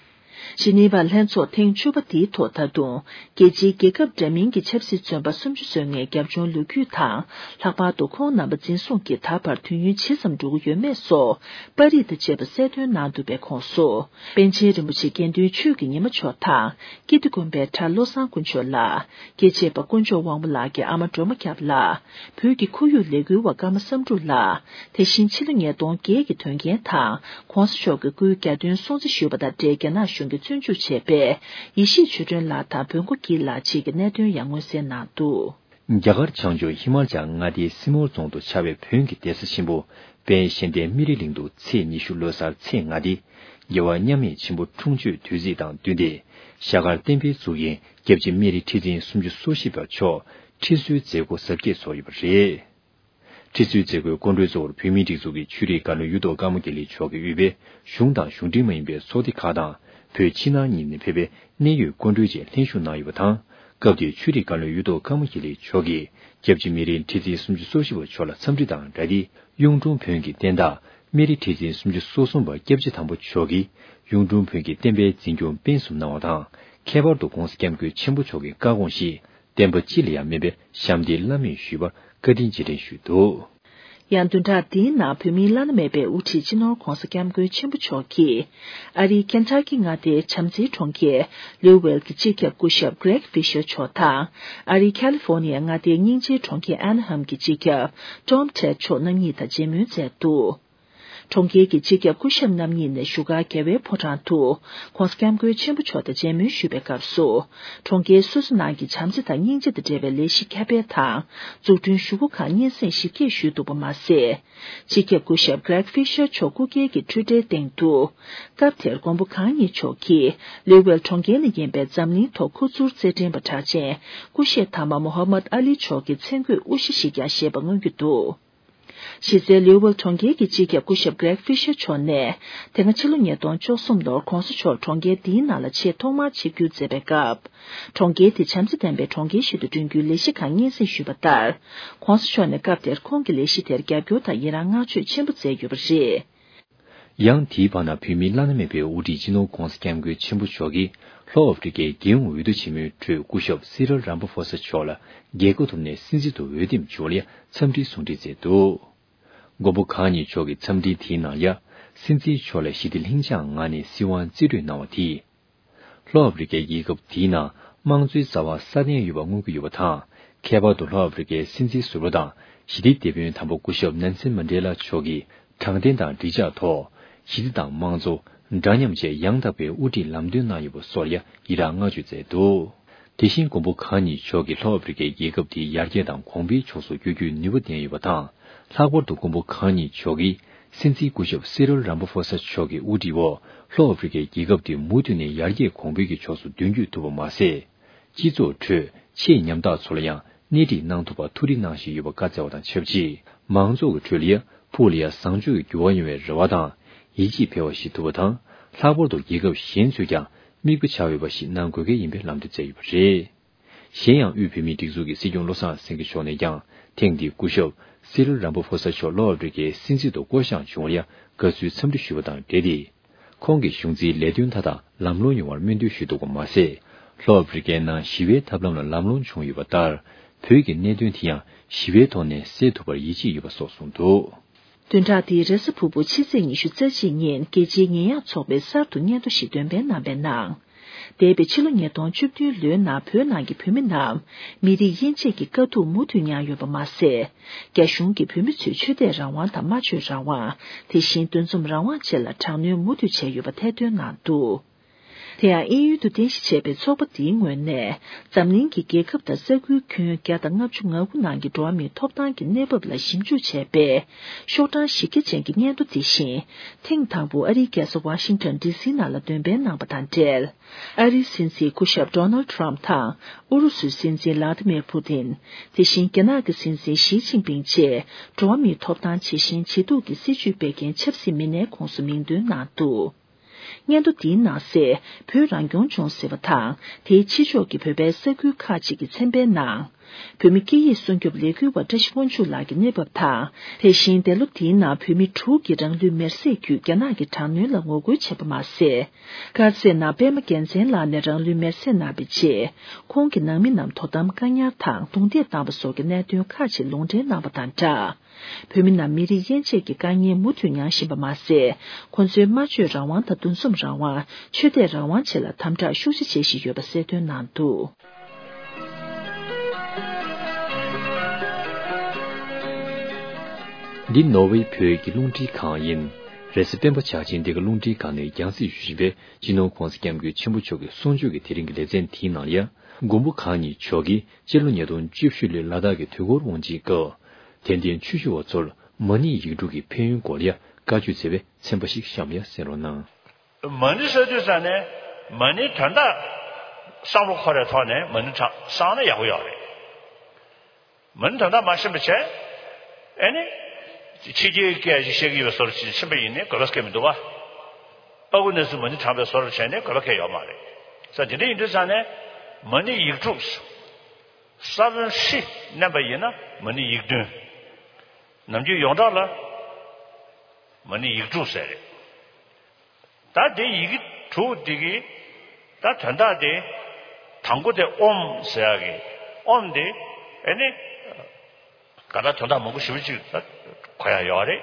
ཇི་ནི་ཝ་ལྷན་ཚོགས་ཐེངས་བཅུ་པ་འདིའི་ཐོག་ད་དུང་རྒྱལ་སྤྱིའི་རྒྱལ་ཁབ་འདྲ་མིན་གྱི་ཆབ་སྲིད་བཙོན་པ་སུམ་ཅུ་སོ་ལྔའི་རྒྱབ་ལྗོངས་ལོ་རྒྱུས་དང་། ལྷག་པར་དུ་ཁོང་རྣམ་པ་འཛིན་བཟུང་གིས་ད་བར་དུས་ཡུན་ཇི་ཙམ་འགྲོ་གི་ཡོད་མེད་སོགས་པར་རིས་དང་བཅས་པ་གསལ་སྟོན་གནང་འདུག་པའི་ཁོངས་སུ། པཎ་ཆེན་རིན་པོ་ཆེ་དགེ་འདུན་ཆོས་ཀྱི་ཉི་མ་མཆོག་དང་། ཀིརྟི་དགོན་པའི་གྲྭ་བློ་བཟང་དཀོན་མཆོག་ལགས། སྐྱེས་ཆེན་པ་དཀོན་མཆོག་དབང་པོ་ལགས་ཀྱི་ཨ་མ་སྒྲོལ་མ་སྐྱབས་ལགས། བོད་ཀྱི་ཁོར་ཡུག་ལས་འགུལ་བ་ཀརྨ་བསམ་འགྲུབ་ལགས། དེ་བཞིན་ཕྱི་ལོ་ཉིས་སྟོང་བརྒྱད་ཀྱི་དོན་རྐྱེན་དང་། ༸གོང་ས་མཆོག་གི་སྐུའི་གྱ་སྟོན་སྲུང་བརྩི་ཞུས་པ་དང་འབྲེལ་རྒྱ་ནག་གཞུང་གིས་བཙོན་འཇུག་བྱས་པའི་ཡེ་ཤེས་ཆོས་སྒྲོན་ལགས་དང་བོན་སྒོ་སྐྱིད་ལགས་བཅས་ཀྱི་གནད་དོན་ཡང་མངོན་གསལ་གནང་འདུག་རྒྱ་གར་བྱང་ཕྱོགས་ཧི་མ་ལ་ཅལ་མངའ་སྡེའི་སི་མོར་རྫོང་དུ་ཆགས་པའི་བོན་གྱི་གདན་ས་ཆེན་པོ་དཔལ་གཞལ་ལྡན་སྨན་རིའི་གླིང་དུ་ཚེས་ཉི་ཤུ་ལོ་གསར་ཚེས་ལྔ་སྟེ། རྒྱལ་བ་མཉམ་མེད་ཆེན་པོ་འཁྲུངས་མཆོད་དུས་ཚིགས་དང་བསྟུན་ཏེ། ཞྭ་དཀར་བསྟན་པའི་གཙུག་རྒྱན་སྐྱབས་རྗེ་སྨན་རི་ཁྲི་འཛིན་སུམ་ཅུ་སོ་བཞི་པ་མཆོག་ཁྲི་གསོལ་མཛད་སྒོ་གཟབ་རྒྱས་ཚོགས་ཡོད་པ་རེད། ཁྲི་ཟུར་མཛད་སྒོའི་སྐུ་མགྲོན་གཙོ་བོར་བོད་མིའི་སྒྲིག་འཛུགས་ཀྱི་ཆོས་རིག་བཀའ་བློན་གཡུ་ཐོག་དཀར་མོ་དགེ་ལེགས་མཆོག་གིས་དབུས་པའི་གཞུང་དང་གཞུང་འབྲེལ་མ་ཡིན་པའི་ཚོགས་སྡེ་ཁག་དང་བོད་ཕྱི་ནང་གཉིས་ནས་ཕེབས་པའི་གནད་ཡོད་སྐུ་མགྲོན་བཅས་ལྷན་ཞུགས་གནང་ཡོད་པ་དང་། སྐབས་དེར་ཆོས་རིག་བཀའ་བློན་གཡུ་ཐོག་དཀར་མོ་དགེ་ལེགས་མཆོག་གིས་སྐྱབས་རྗེ་སྨན་རིའི་ཁྲི་འཛིན་སུམ་ཅུ་སོ་བཞི་པ་མཆོག་ལ་འཚམས་འདྲི་དང་སྦྲགས་ཏེ། གཡུང་དྲུང་བོན་གྱི་བསྟན་བདག་སྨན་རི་ཁྲི་འཛིན་སུམ་ཅུ་སོ་གསུམ་པ་སྐྱབས་རྗེ་དམ་པ་མཆོག་གིས་གཡུང་དྲུང་བོན་གྱི་བསྟན་པའི་འཛིན་སྐྱོང་སྤེལ་གསུམ་གནང་བ་དང་། ཁྱད་པར་དུ་༸གོང་ས་༸སྐྱབས་མགོན་ཆེན་པོ་མཆོག་གི་བཀའ་དགོངས་བཞིན་བསྟན་པ་སྤྱི་ལ་ཡང་སྨན་པའི་ཞབས་འདེགས་བླ་མེད་ཞུས་པར་བཀའ་དྲིན་རྗེས་དྲན་ཞུས་འདུག། ཡང་བདུན་ཕྲག་འདིའི་ནང་བོད་མིའི་བླ་ན་མེད་པའི་དབུ་ཁྲིད་སྤྱི་ནོར་༸གོང་ས་༸སྐྱབས་མགོན་ཆེན་པོ་མཆོག་གིས་ཨ་རིའི་ཁེན་ཊ་ཀི་མངའ་སྡེའི་བྱམས་བརྩེའི་གྲོང་ཁྱེར་ལུའུ་ཝེལ་གྱི་སྤྱི་ཁྱབ་སྐུ་ཞབས་Greg Fisher མཆོག་དང་། ཨ་རིའི་ཁ་ལི་ཧྥོ་ནི་ཡའི་མངའ་སྡེའི་སྙིང་རྗེའི་གྲོང་ཁྱེར་ཨན་ཧམ་གྱི་སྤྱི་ཁྱབ་Tom Ted མཆོག་རྣམ་གཉིས་དང་མཇལ་མོལ་མཛད་འདུག། གྲོང་ཁྱེར་གྱི་སྤྱི་ཁྱབ་སྐུ་ཞབས་རྣམ་གཉིས་ནས་བཞུགས་སྒར་རྒྱལ་བའི་ཕོ་བྲང་དུ་༸གོང་ས་༸སྐྱབས་མགོན་ཆེན་པོ་མཆོག་དང་མཇལ་མོལ་ཞུས་པའི་སྐབས་སུ། གྲོང་ཁྱེར་སོ་སོ་ནང་གི་བྱམས་བརྩེ་དང་སྙིང་རྗེ་དང་འབྲེལ་བའི་ལས་གཞི་ཁྱབ་སྤེལ་དང་། འཛུགས་སྐྲུན་ཞུ་སྒོ་ཁག་སྙན་སེང་ཞིབ་རྒྱས་ཞུས་འདུག་པ་མ་ཟད། སྤྱི་ཁྱབ་སྐུ་ཞབས་Greg Fisher མཆོག་སྐུ་སྒེར་གྱི་འཕྲུལ་བྲིའི་སྟེང་དུ། སྐབས་དེར་མགོན་པོ་གང་ཉིད་མཆོག་གིས་ལུའུ་ཝེལ་གྲོང་ཁྱེར་ནས་ཡིན་པའི་འཛམ་གླིང་ཐོག་ཁོ་ཚོར་རྩེད་འགྲན་པ་གྲགས་ཅན་སྐུ་གཤེགས་མཐའ་མ་མོ་ཧ་མད་ཨ་ལི་མཆོག་གི་མཚན་བཀོད་དབུ་བཞི་ཞིག་ཀྱང་བཞེས་པ་མངོན་གྱི་འདུག། གཞི་རྩའི་ལུའུ་ཝེལ་གྲོང་ཁྱེར་གྱི་སྤྱི་ཁྱབ་སྐུ་ཞབས་Greg Fisher མཆོག་ནས། དེ་སྔ་ཕྱི་ལོ་ཉིས་སྟོང་བཅུ་གསུམ་ལོར་༸གོང་ས་མཆོག་གྲོང་ཁྱེར་འདིའི་ནང་ལ་ཆེས་ཐོག་མར་ཆིབས་བསྒྱུར་མཛད་པའི་སྐབས། གྲོང་ཁྱེར་དེ་བྱམས་བརྩེ་ལྡན་པའི་གྲོང་ཁྱེར་ཞིག་ཏུ་བསྐྲུན་རྒྱུའི་ལས་གཞི་ཁག་སྙན་སེང་ཞུས་པ་ལྟར། ༸གོང་ས་མཆོག་ནས་སྐབས་དེར་ཁོང་གི་ལས་གཞི་དེར་རྒྱབ་སྐྱོར་དང་ཡི་རང་བསྔགས་བརྗོད་ཆེན་པོ་མཛད་ཡོད་པ་རེད། ཡང་དེའི་བར་ན་བོད་མིའི་བླ་ན་མེད་པའི་དབུ་ཁྲིད་སྤྱི་ནོར་༸གོང་ས་༸སྐྱབས་མགོན་ཆེན་པོ་མཆོག་གིས་ལྷོ་ཨ་ཧྥེ་རི་ཁའི་རྒྱལ་ཡོངས་འོས་བསྡུ་ཆེན་མོའི་ཁྲོད་སྐུ་ཞབས་སི་རལ་རམ་པ་ཕོ་ས་མཆོག་ལ་རྒྱལ་ཁ་ཐོབ་ནས་སྲིད་འཛིན་དུ་འོས་འདེམས་བྱུང་བ་ལ་འཚམས་འདྲིའི་གསུང་འཕྲིན་བསྩལ་འདུག། མགོན་པོ་གང་ཉིད་མཆོག་གི་འཚམས་འཕྲིན་དེའི་ནང་ཡང་། སྲིད་འཛིན་མཆོག་ལ་ཞི་བདེ་ལྷིང་འཇགས་ངང་ནས་སྲིད་དབང་རྩིས་སྤྲོད་གནང་བ་དེས། ལྷོ་ཨ་ཧྥེ་རི་ཁའི་རྒྱལ་ཁབ་དེའི་ནང་དམངས་གཙོའི་རྩ་བ་སྲ་བརྟན་ཡོད་པ་མངོན་གྱི་ཡོད་པ་དང་། ཁྱད་པར་དུ་ལྷོ་ཨ་ཧྥེ་རི་ཁའི་སྲིད་འཛིན་ཟུར་པ་དང་ཞི་བདེའི་སྡེ་དཔོན་དམ་པ་སྐུ་ཞབས་ནན་སན་མན་ཌེ་ལ་མཆོག་གིས་དྲང་བདེན་དང་འགྲིག་འཇགས་ཐོག་ཞི་བདེ་དང་དམངས་གཙོ། འདྲ་མཉམ་བཅས་ཡང་དག་པའི་དབུ་ཁྲིད་ལམ་སྟོན་གནང་ཡོད་པ་སོགས་ལ་ཡང་ཡི་རངས་བསྔགས་བརྗོད་མཛད་འདུག། དེ་བཞིན་མགོན་པོ་གང་ཉིད་མཆོག་གིས་ལྷོ་ཨ་ཧྥེ་རི་ཁའི་རྒྱལ་ཁབ་དེའི་ཡར་རྒྱས་དང་གོང་འཕེལ་ཕྱོགས་སུ་བསྐྱོད་རྒྱུའི་ནུས་པ་ལྡན་ཡོད་པ་དང་། ལྷག་པར་དུ་མགོན་པོ་གང་ཉིད་མཆོག་གིས་སྲིད་འཛིན་སྐུ་ཞབས་སི་རལ་རམ་པ་ཕོ་ས་མཆོག་གི་དབུ་ཁྲིད་འོག་ལྷོ་ཨ་ཧྥེ་རི་ཁའི་རྒྱལ་ཁབ་དེ་མུ་མཐུད་ནས་ཡར་རྒྱས་གོང་འཕེལ་གྱི་ཕྱོགས་སུ་མདུན་སྐྱོད་ཐུབ་པ་མ་ཟད། སྤྱི་ཚོགས་ཁྲོད་ཆེས་ཉམ་ཐག་ཚོ་ལ་ཡང་སྣེ་ཁྲིད་གནང་ཐུབ་པར་ཐུགས་རེ་གནང་བཞིན་ཡོད་པ་བཀའ་སྩལ་བ་དང་ཆབས་ཅིག་མང་ཚོགས་ཀྱི་ཁྲོད་ལ་ཡང་ཕུགས་ལ་ཡང་བཟང་སྤྱོད་ཀྱི་འགྱུར་བ་ཡོང་བའི་རེ་བ་དང་། ཡིད་ཆེས་འཕེལ་བ་ཞིག་ཐུབ་པ་དང་། ལྷག་པར་དུ་རྒྱལ་ཁབ་གཞན་ཚོས་ཀྱང་མིག་དཔེ་བྱ་འོས་པ་ཞིག་གནང་དགོས་གལ་ཡིན་པའི་ལམ་སྟོན་བསྩལ་ཡོད་པ་རེད། གཞན་ཡང་དབུས་བོད་མིའི་སྒྲིག་འཛུགས་ཀྱི་སྲིད་སྐྱོང་བློ་བཟང་སེང་གེ་མཆོག་ནས་ཀྱང་ཐེངས་འདིའི་སྐུ་ཞབས་སི་རལ་རམ་པ་ཕོ་ས་མཆོག་ལྷོ་ཨ་ཧྥེ་རི་ཁའི་སྲིད་འཛིན་དུ་བསྐོ་གཞག་བྱུང་བར་ཡང་དགའ་བསུའི་འཚམས་འདྲི་ཞུས་པ་དང་འབྲེལ་ཏེ། ཁོང་གི་གཞུང་འཛིན་ལས་དོན་མཐའ་དག་ལམ་ལྷོང་ཡོང་བར་སྨོན་འདུན་ཞུས་འདུག་པ་མ་ཟད། ལྷོ་ཨ་ཧྥེ་རི་ཁའི་ནང་ཞི་བའི་ཐབས་ལམ་ལ་ལམ་ལྷོང་བྱུང་ཡོད་པ་ལྟར། བོད་ཀྱི་གནད་དོན་དེ་ཡང་ཞི་བའི་ཐོག་ནས་སེལ་ཐུབ་པར་ཡིད་ཆེས་ཡོད་པ་སོགས་གསུངས་འདུག། བདུན་ཕྲག་འདིའི་རེས་གཟའ་ཕུར་བུ་ཕྱི་ཚེས་ཉི་ཤུ་རྩ་གཅིག་ཉིན་རྒྱལ་སྤྱིའི་ཉེས་ཡངས་ཚོགས་པས་གསར་དུ་སྙན་ཐོ་ཞིག་འདོན་སྤེལ་གནང་པའི་ནང་། འདས་པའི་ཕྱི་ལོ་ཉིས་སྟོང་བཅུ་བདུན་ལོའི་ནང་བོད་ནང་གི་བོད་མི་རྣམས་མི་རིགས་དབྱེ་འབྱེད་ཀྱི་དཀའ་སྡུག་མུ་མཐུད་མྱངས་ཡོད་པ་མ་ཟད། རྒྱ་གཞུང་གིས་བོད་མི་ཚོའི་ཆོས་དད་རང་དབང་དང་སྨྲ་བརྗོད་རང་དབང་། དེ་བཞིན་འདུ་འཛོམས་རང་དབང་བཅས་ལ་དྲག་གནོན་མུ་མཐུད་བྱས་ཡོད་པ་ཐེར་འདོན་གནང་འདུག། དེ་ཡང་དབྱིན་ཡུལ་དུ་རྟེན་གཞི་བྱས་པའི་ཚོགས་པ་འདིའི་ངོས་ནས། འཛམ་གླིང་གི་རྒྱལ་ཁབ་དང་ས་ཁུལ་ཁྱོན་བརྒྱ་དང་ལྔ་བཅུ་ང་དགུ་ནང་གི་འགྲོ་བ་མིའི་ཐོབ་ཐང་གི་གནས་བབ་ལ་ཞིབ་འཇུག་བྱས་པའི་ཤོག་གྲངས་བཞི་བརྒྱ་ཅན་གྱི་སྙན་ཐོ་དེ་བཞིན། ཐེངས་དང་པོ་ཨ་རིའི་རྒྱལ་ས་ཝ་ཤིང་ཊོན་ཌི་སི་ནང་ལ་འདོན་སྤེལ་གནང་པ་དང་འབྲེལ། ཨ་རིའི་སྲིད་འཛིན་སྐུ་ཞབས་ཌོ་ནལ་ཌི་ཊརམ་ཕི་དང་། ཨུ་རུ་སུའི་སྲིད་འཛིན་ལ་ཏི་མེར་ཕུ་ཏིན། དེ་བཞིན་རྒྱ་ནག་གི་སྲིད་འཛིན་ཞི་ཅིན་ཕིང་བཅས། འགྲོ་བ་མིའི་ཐོབ་ཐང་ཇི་བཞིན་ཇེ་སྡུག་གི་སྲིད་བྱུས་སྤེལ་མཁན་ཆབ་སྲིད་མི་སྣའི་ཁོངས་སུ་མིང་འདོན་གནང་འདུག། སྙན་ཐོ་འདིའི་ནང་གསལ། བོད་རང་སྐྱོང་ལྗོངས་ཟེར་བ་དང་། དེའི་ཕྱི་ཕྱོགས་ཀྱི་བོད་པའི་ས་ཁུལ་ཁག་ཅིག་གི་ཚན་པའི་ནང་། བོད་མི་སྐད་ཡིག་སྲུང་སྐྱོབ་ལས་འགུལ་བ་བཀྲ་ཤིས་དབང་ཕྱུག་ལགས་ཀྱི་གནས་བབ་དང་། དེ་བཞིན་འདས་ལོ་འདིའི་ནང་བོད་མི་དྲུག་གིས་རང་ལུས་མེར་སྲེག་བརྒྱུད་རྒྱ་ནག་གི་དྲག་གནོན་ལ་ངོ་རྒོལ་བྱས་པ་མ་ཟད། དཀར་མཛེས་ནང་པད་མ་རྒྱལ་མཚན་ལགས་ནས་རང་ལུས་མེར་སྲེག་གནང་བའི་རྗེས། ཁོང་གི་ནང་མི་རྣམས་དོ་དམ་བཀག་ཉར་དང་རྡུང་རྡེག་བཏང་བ་སོགས་ཀྱི་གནད་དོན་ཁག་ཅིག་ལུང་འདྲེན་གནང་བ་དང་སྦྲགས། བོད་མི་རྣམས་མི་རིགས་དབྱེ་འབྱེད་ཀྱི་དཀའ་ངལ་མུ་མཐུད་མྱངས་བཞིན་པ་མ་ཟད། ཁོ་ཚོའི་སྨྲ་བརྗོད་རང་དབང་དང་འདུ་འཛོམས་རང་དབང་། ཆོས་དད་རང་དབང་བཅས་ལ་དམ་དྲག་ཤུགས་ཆེ་བྱེད་བཞིན་ཡོད་པ་གསལ་སྟོན་གནང་འདུག། འདི་ནོར་ཝེ་བོད་ཀྱི་རླུང་འཕྲིན་ཁང་ཡིན། རེས་གཟའ་སྤེན་པ་ཆར་ཆེན་འདི་ག་རླུང་འཕྲིན་ཁང་ནས་རྒྱང་སྲིང་ཞུ་བཞིན་པའི་སྤྱི་ནོར་༸གོང་ས་༸སྐྱབས་མགོན་ཆེན་པོ་མཆོག་གི་གསུང་ཆོས་ཀྱི་དེ་རིང་གི་ལེ་ཚན་དེའི་ནང་ལ་ཡང་། མགོན་པོ་གང་ཉིད་མཆོག་གིས་སྤྱི་ལོ་ཉིས་སྟོང་བཅུ་བཞི་ལོའི་ལ་དྭགས་ཀྱི་དུས་འཁོར་དབང་ཆེན་སྐབས། དད་ལྡན་ཆོས་ཞུ་བ་ཚོར་མ་ཎི་ཡིག་དྲུག་གི་ཕན་ཡོན་སྐོར་ལ་ཡང་བཀའ་ཆོས་མཛད་པའི་ཚན་པ་ཞིག་གཤམ་ལ་ཡང་གསན་རོགས་གནང་། མ་ཎི་ཟེར་དུས་ཙང་ནས་མ་ཎིའི་དོན་དག་བསམ་བློ་འཁོར་བའི་ཐོག་ནས་མ་ཎི་བསགས་ན་ཡག་པོ་ཡོད་རེད། མ་ཎི་དོན་དག་མ་ཤེས་པ་བྱས། ཨེ་ནི། ཕྱི་རྒྱལ་སྐད་ཅིག་བཤད་ཀྱི་ཡོད་པའི་བཟོ་འདྲ་ཅིག་ཕྱིན་པ་ཡིན་ནའི་དགོས་པ་སྐད་མི་འདུག་བ། ཨ་ཁུ་གནས་ཚུལ་མ་ཎི་བགྲངས་པའི་བཟོ་འདྲ་བྱས་ནས་དགོས་པ་སྐད་ཡོད་མ་རེད། ས་དེ་འདྲ་ཡིན་དུས་ཙང་ནས་མ་ཎི་ཡིག་དྲུག་ས་བོན་ཧྲི་བསྣན་པ་ཡིན་ན་མ་ཎི་ཡིག་བདུན། ནམ་རྒྱུན་ཡོངས་གྲགས་ལ་མ་ཎི་ཡིག་དྲུག་ཟེར་རེད། ད་དེ་ཡི་གེ་དྲུག་འདི་གི་ད་དོན་དག་དེ་དང་པོ་དེ་ཨོཾ་ཟེར་ཡག་གི་ཨོཾ་དེ་ཨེ་ནི་ག་ད་དོན་དག་མང་པོ་ཞེ་པོ་ཅིག་ད་གོ་ཡག་ཡོད་རེད།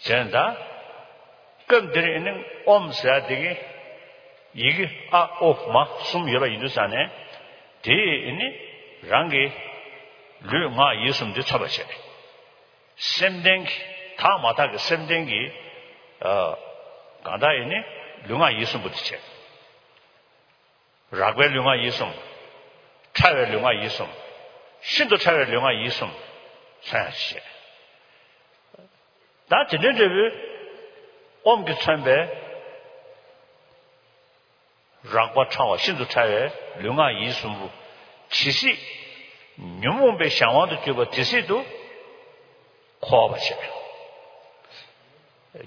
བྱས་ད་སྐབས་འདིར་ཨེ་ནི་ཨོཾ་ཟེར་ཡག་དེ་གི་ཡི་གེ་ཨ་ཨོ་མ་གསུམ་ཡོད་པ་ཡིན་དུས་ཙང་ནས་དེ་ཨེ་ནི་རང་གི་ལུས་ངག་ཡིད་གསུམ་དེ་མཚོན་པ་བྱས། སེམས་ལྡན་གྱི་དག་མ་དག་གི་སེམས་ལྡན་གྱི་ཨ་གང་དག་ཡིན་ནི་ལུས་ངག་ཡིད་གསུམ་པོ་དེ་བྱས། རགས་པའི་ལུས་ངག་ཡིད་གསུམ། ཕྲ་བའི་ལུས་ངག་ཡིད་གསུམ། ཤིན་ཏུ་ཕྲ་བའི་ལུས་ངག་ཡིད་གསུམ་མཚོན་ཡག་བྱས། ད་དེ་འདྲའི་འབྲས་བུ་ཨོཾ་གྱིས་མཚོན་པའི་རགས་པ་ཕྲ་བ་ཤིན་ཏུ་ཕྲ་བའི་ལུས་ངག་ཡིད་གསུམ་པོ་ཇི་སྲིད་ཉོན་མོངས་པའི་གཞན་དབང་དུ་གྱུར་པ་དེ་སྲིད་དུ་འཁོར་བར་བྱེད།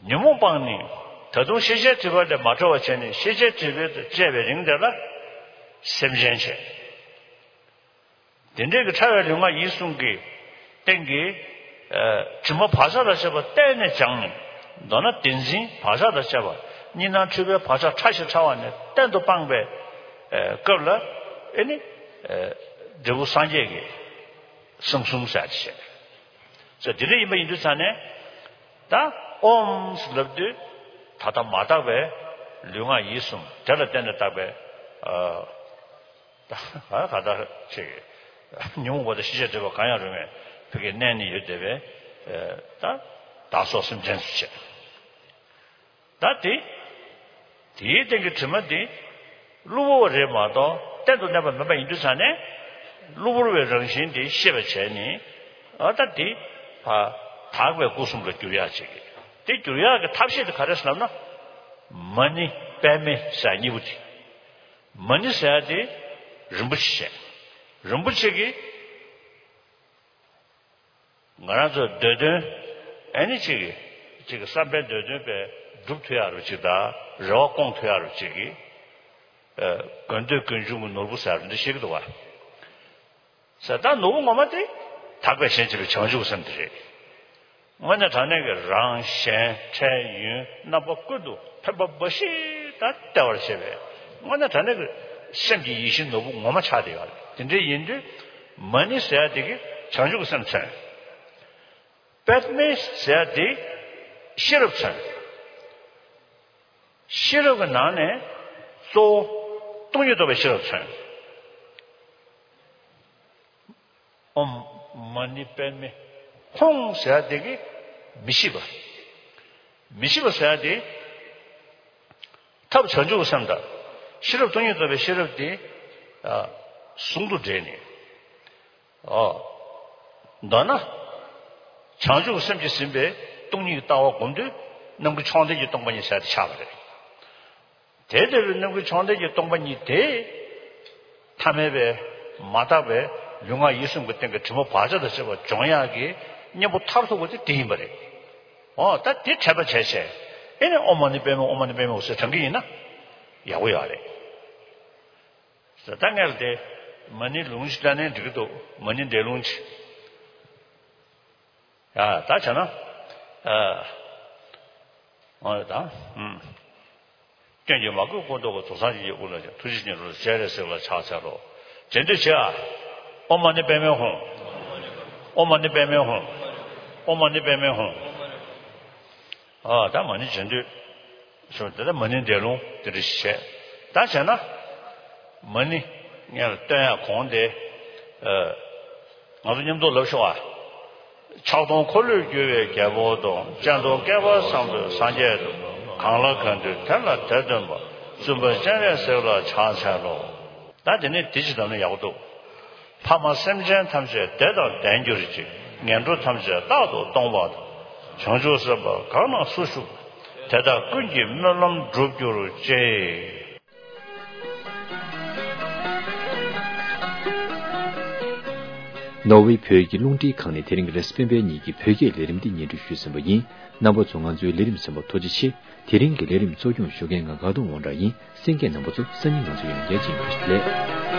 ཉོན་མོངས་སྤངས་ནས་ད་དུང་ཤེས་བྱའི་སྒྲིབ་པ་ལས་མ་གྲོལ་བར་བྱས་ནས་ཤེས་བྱའི་སྒྲིབ་པ་དང་བཅས་པའི་རིང་དེ་ལ་སེམས་ཅན་བྱེད། དེ་འདྲའི་གི་ཕྲ་བའི་ལུས་ངག་ཡིད་གསུམ་གྱི་སྟེང་གི་ཨ་དྲི་མ་བག་ཆགས་དང་བཅས་པ་གཏན་ནས་སྦྱངས་ནས། མདོར་ན་བདེན་འཛིན་བག་ཆགས་དང་བཅས་པ་གཉིས་སྣང་འཁྲུལ་པའི་བག་ཆགས་ཕྲ་ཞིང་ཕྲ་བ་ནས་གཏན་དུ་སྤངས་པའི་ཨ་སྐབས་ལ་ཨེ་ནི་ཨ་འབྲས་བུ་སངས་རྒྱས་ཀྱི་གསང་གསུམ་ཟེར་ཡག་ཅིག་བྱས། ཟེར་དེ་འདྲ་ཡིན་པ་ཡིན་དུས་ཙང་ནས་ད་ཨོཾ་ཟེར་ལབ་དུས་ད་ལྟ་མ་དག་པའི་ལུས་ངག་ཡིད་གསུམ་དེ་ལ་བརྟེན་ནས་བཏགས་པའི་ཨ། ད་ག་ད་ཅིག་ཉོན་མོངས་པ་དང་ཤེས་བྱའི་སྒྲིབ་པ་གང་ཡང་རུང་བའི་ཕ་གིར་གནས་ནས་ཡོད་བསྡད་པའི་ད་བདག་སོགས་སེམས་ཅན་སུ་བྱེད། ད་དེ་དེའི་སྟེང་གི་དྲི་མ་དེ་གློ་བུར་བ་རེད་མ་གཏོགས་གཏན་དུ་གནས་པ་མིན་པ་ཡིན་དུས་ཙང་ནས་གློ་བུར་བའི་རང་བཞིན་དེ་ཤེས་པར་བྱས་ནས་ཨ་ད་དེ་ཕ་དག་པའི་སྐུ་གསུམ་ལ་འགྱུར་ཡག་ཅིག་དེ་འགྱུར་ཡག་གི་ཐབས་ཤེས་དེ་ག་རེ་ཟེར་ལབ་ན་མ་ཎི་པདྨེ་ཟེར་གཉིས་པོ་དེ། མ་ཎི་ཟེར་ཡག་དེ་རིན་པོ་ཆེ་བཤད། རིན་པོ་ཆེ་གིས་ང་རང་ཚོའི་འདོད་དོན་ཨེ་ནི་ཅིག་གི་ཅིག་གི་བསམ་པའི་འདོད་དོན་པའི་སྒྲུབ་ཐུབ་ཡག་རུ་ཅིག་དང་རེ་བ་སྐོང་ཐུབ་ཡག་རུ་ཅིག་གི་ཨ་དགོས་འདོད་ཀུན་འབྱུང་གི་ནོར་བུ་ཟེར་ཡག་འདི་བཤད་ཀྱི་འདུག་བ། ཟེར་ད་ནོར་བུ་ངོ་མ་དེ་དག་པའི་གཞན་གཅེས་པའི་བྱང་ཆུབ་སེམས་དེ་རེད། དངོས་གནས་དྲང་གནས་ཀྱི་རང་གཞན་འཕྲལ་ཡུན་རྣམ་པ་ཀུན་ཏུ་ཕན་པ་འབའ་ཞིག་དང་བདེ་བར་གཤེགས་པའི་དངོས་གནས་དྲང་གནས་ཀྱི་སེམས་ཀྱི་ཡིད་བཞིན་ནོར་བུ་ངོ་མ་ཆགས་བསྡད་ཡོད་རེད། དེ་འདྲ་ཡིན་དུས་མ་ཎི་ཟེར་ཡག་དེ་གིས་བྱང་ཆུབ་ཀྱི་སེམས་མཚོན། པདྨེ་ཟེར་ཡག་དེ་ཤེས་རབ་མཚོན། ཤེས་རབ་ཀྱི་ནང་ནས་གཙོ་བོ་སྟོང་ཉིད་རྟོགས་པའི་ཤེས་རབ་མཚོན། ཨོཾ་མ་ཎི་པདྨེ་ཧཱུྃ་ཟེར་ཡག་དེ་གིས་མི་ཤེས་པ། མི་ཤེས་པ་ཟེར་ཡག་དེ་ཐབས་བྱང་ཆུབ་ཀྱི་སེམས་དང་ཤེས་རབ་སྟོང་ཉིད་རྟོགས་པའི་ཤེས་རབ་དེ་ཨ་ཟུང་དུ་འབྲེལ་ནས། ཨོ། མདོར་ན། བྱང་ཆུབ་སེམས་ཀྱིས་ཟིན་པའི་སྟོང་ཉིད་ཀྱི་ལྟ་བ་སྒོམ་དུས་རྣམ་ཀུན་མཆོག་ལྡན་གྱི་སྟོང་པ་ཉིད་ཟེར་ཡག་དེ་ཆགས་པ་རེད། དེ་ལྟ་བུའི་རྣམ་ཀུན་མཆོག་ལྡན་གྱི་སྟོང་པ་ཉིད་དེ། ཐ་མལ་པའི་མ་དག་པའི་ལུས་ངག་ཡིད་གསུམ་གྱི་སྟེང་གི་དྲི་མ་བག་ཆགས་དང་བཅས་པ་སྦྱོང་ཡག་གི་གཉེན་པོ་མཐར་ཐུག་པ་དེ་དེ་ཡིན་པ་རེད། འོ་ད་དེ་འཕྲད་པ་བྱས་བྱས་ཨེ་ནི་ཨོཾ་མ་ཎི་པདྨེ་ཧཱུྃ་ཨོཾ་མ་ཎི་པདྨེ་ཧཱུྃ་ཟེར་བགྲང་གི་ཡིན་ན་ཡག་པོ་ཡོད་རེད། ད་སྔོན་ལ་དེ་མ་ཎི་ལུང་ཅིག་བཀྲལ་ན་འགྲིག་གི་འདུག་མ་ཎི་འགྲེལ་ལུང་ཅིག་ཡ་ད་བྱས་ན། ཨ། འོ་ད། ཨུམ། སྐྱོན་གྱིས་མ་གོས་སྐུ་མདོག་གི། དུག་གསུམ་གྱི་དབུས་ལ་ཡང་། ཐུགས་རྗེ་ཉིད་རུ་སྤྱན་རས་གཟིགས་ལ་ཕྱག་འཚལ་ལོ། རྗེས་ཟློས་བྱེད་ཨ། ཨོཾ་མ་ཎི་པདྨེ་ཧཱུྃ། ཨོཾ་མ་ཎི་པདྨེ་ཧཱུྃ། ཨོཾ་མ་ཎི་པདྨེ་ཧཱུྃ། ཨ་ད་མ་ཎི་རྗེས་ཟློས། སོ་དེ་ལྟར་མ་ཎི་འགྲེལ་ལུང་དེ་འདྲ་ཞིག་བྱས། ད་བྱས་ན། མ་ཎི་སྔོན་ལ་བཏོན་ཡག་གོང་དེ། ཨ། ང་ཚོ་མཉམ་དུ་ལབ་ཤོག་ཨ། ཕྱག་སྟོང་འཁོར་ལོས་སྒྱུར་བའི་རྒྱལ་པོ་དང་། སྤྱན་སྟོང་བསྐལ་པ་བཟང་པོའི་སངས་རྒྱས་དང་། གང་ལ་གང་འདུལ་དེ་ལ་དེ་སྟོན་པ། བཙུན་པ་སྤྱན་རས་གཟིགས་ལ་ཕྱག་འཚལ་ལོ། ད་དེ་ནས་དེ་ཅི་ལབ་ན་ཡག་པོ་འདུག་ཕ་མ་སེམས་ཅན་ཐམས་ཅད་བདེ་དང་ལྡན་གྱུར་ཅིག་ངན་འགྲོ་ཐམས་ཅད་རྟག་ཏུ་སྟོངས་པ་དང་། བྱང་ཆུབ་སེམས་དཔའ་གང་ན་སུ་བཞུགས། དེ་དག་ཀུན་གྱི་སྨོན་ལམ་འགྲུབ་གྱུར་ཅིག་ནོར་ཝེ་བོད་ཀྱི་རླུང་འཕྲིན་ཁང་ནས་དེ་རིང་རེས་གཟའ་སྤེན་པའི་ཉིན་གྱི་བོད་སྐད་ལས་རིམ་འདི་སྙན་སྒྲོན་ཞུས་ཟིན་པ་ཡིན། རྣམ་པ་ཚོ་ང་ཚོའི་ལས་རིམ་གསན་པར་ཐུགས་རྗེ་ཆེ། དེ་རིང་གི་ལས་རིམ་གཙོ་སྐྱོང་ཞུ་མཁན་ང་དགའ་གདོང་དབང་གྲགས་ཡིན། གསན་མཁན་རྣམ་པ་ཚོ་སང་ཉིན་ང་ཚོ་ཡང་བསྐྱར་མཇལ་ཡོང་བ་ཞིག་ལས།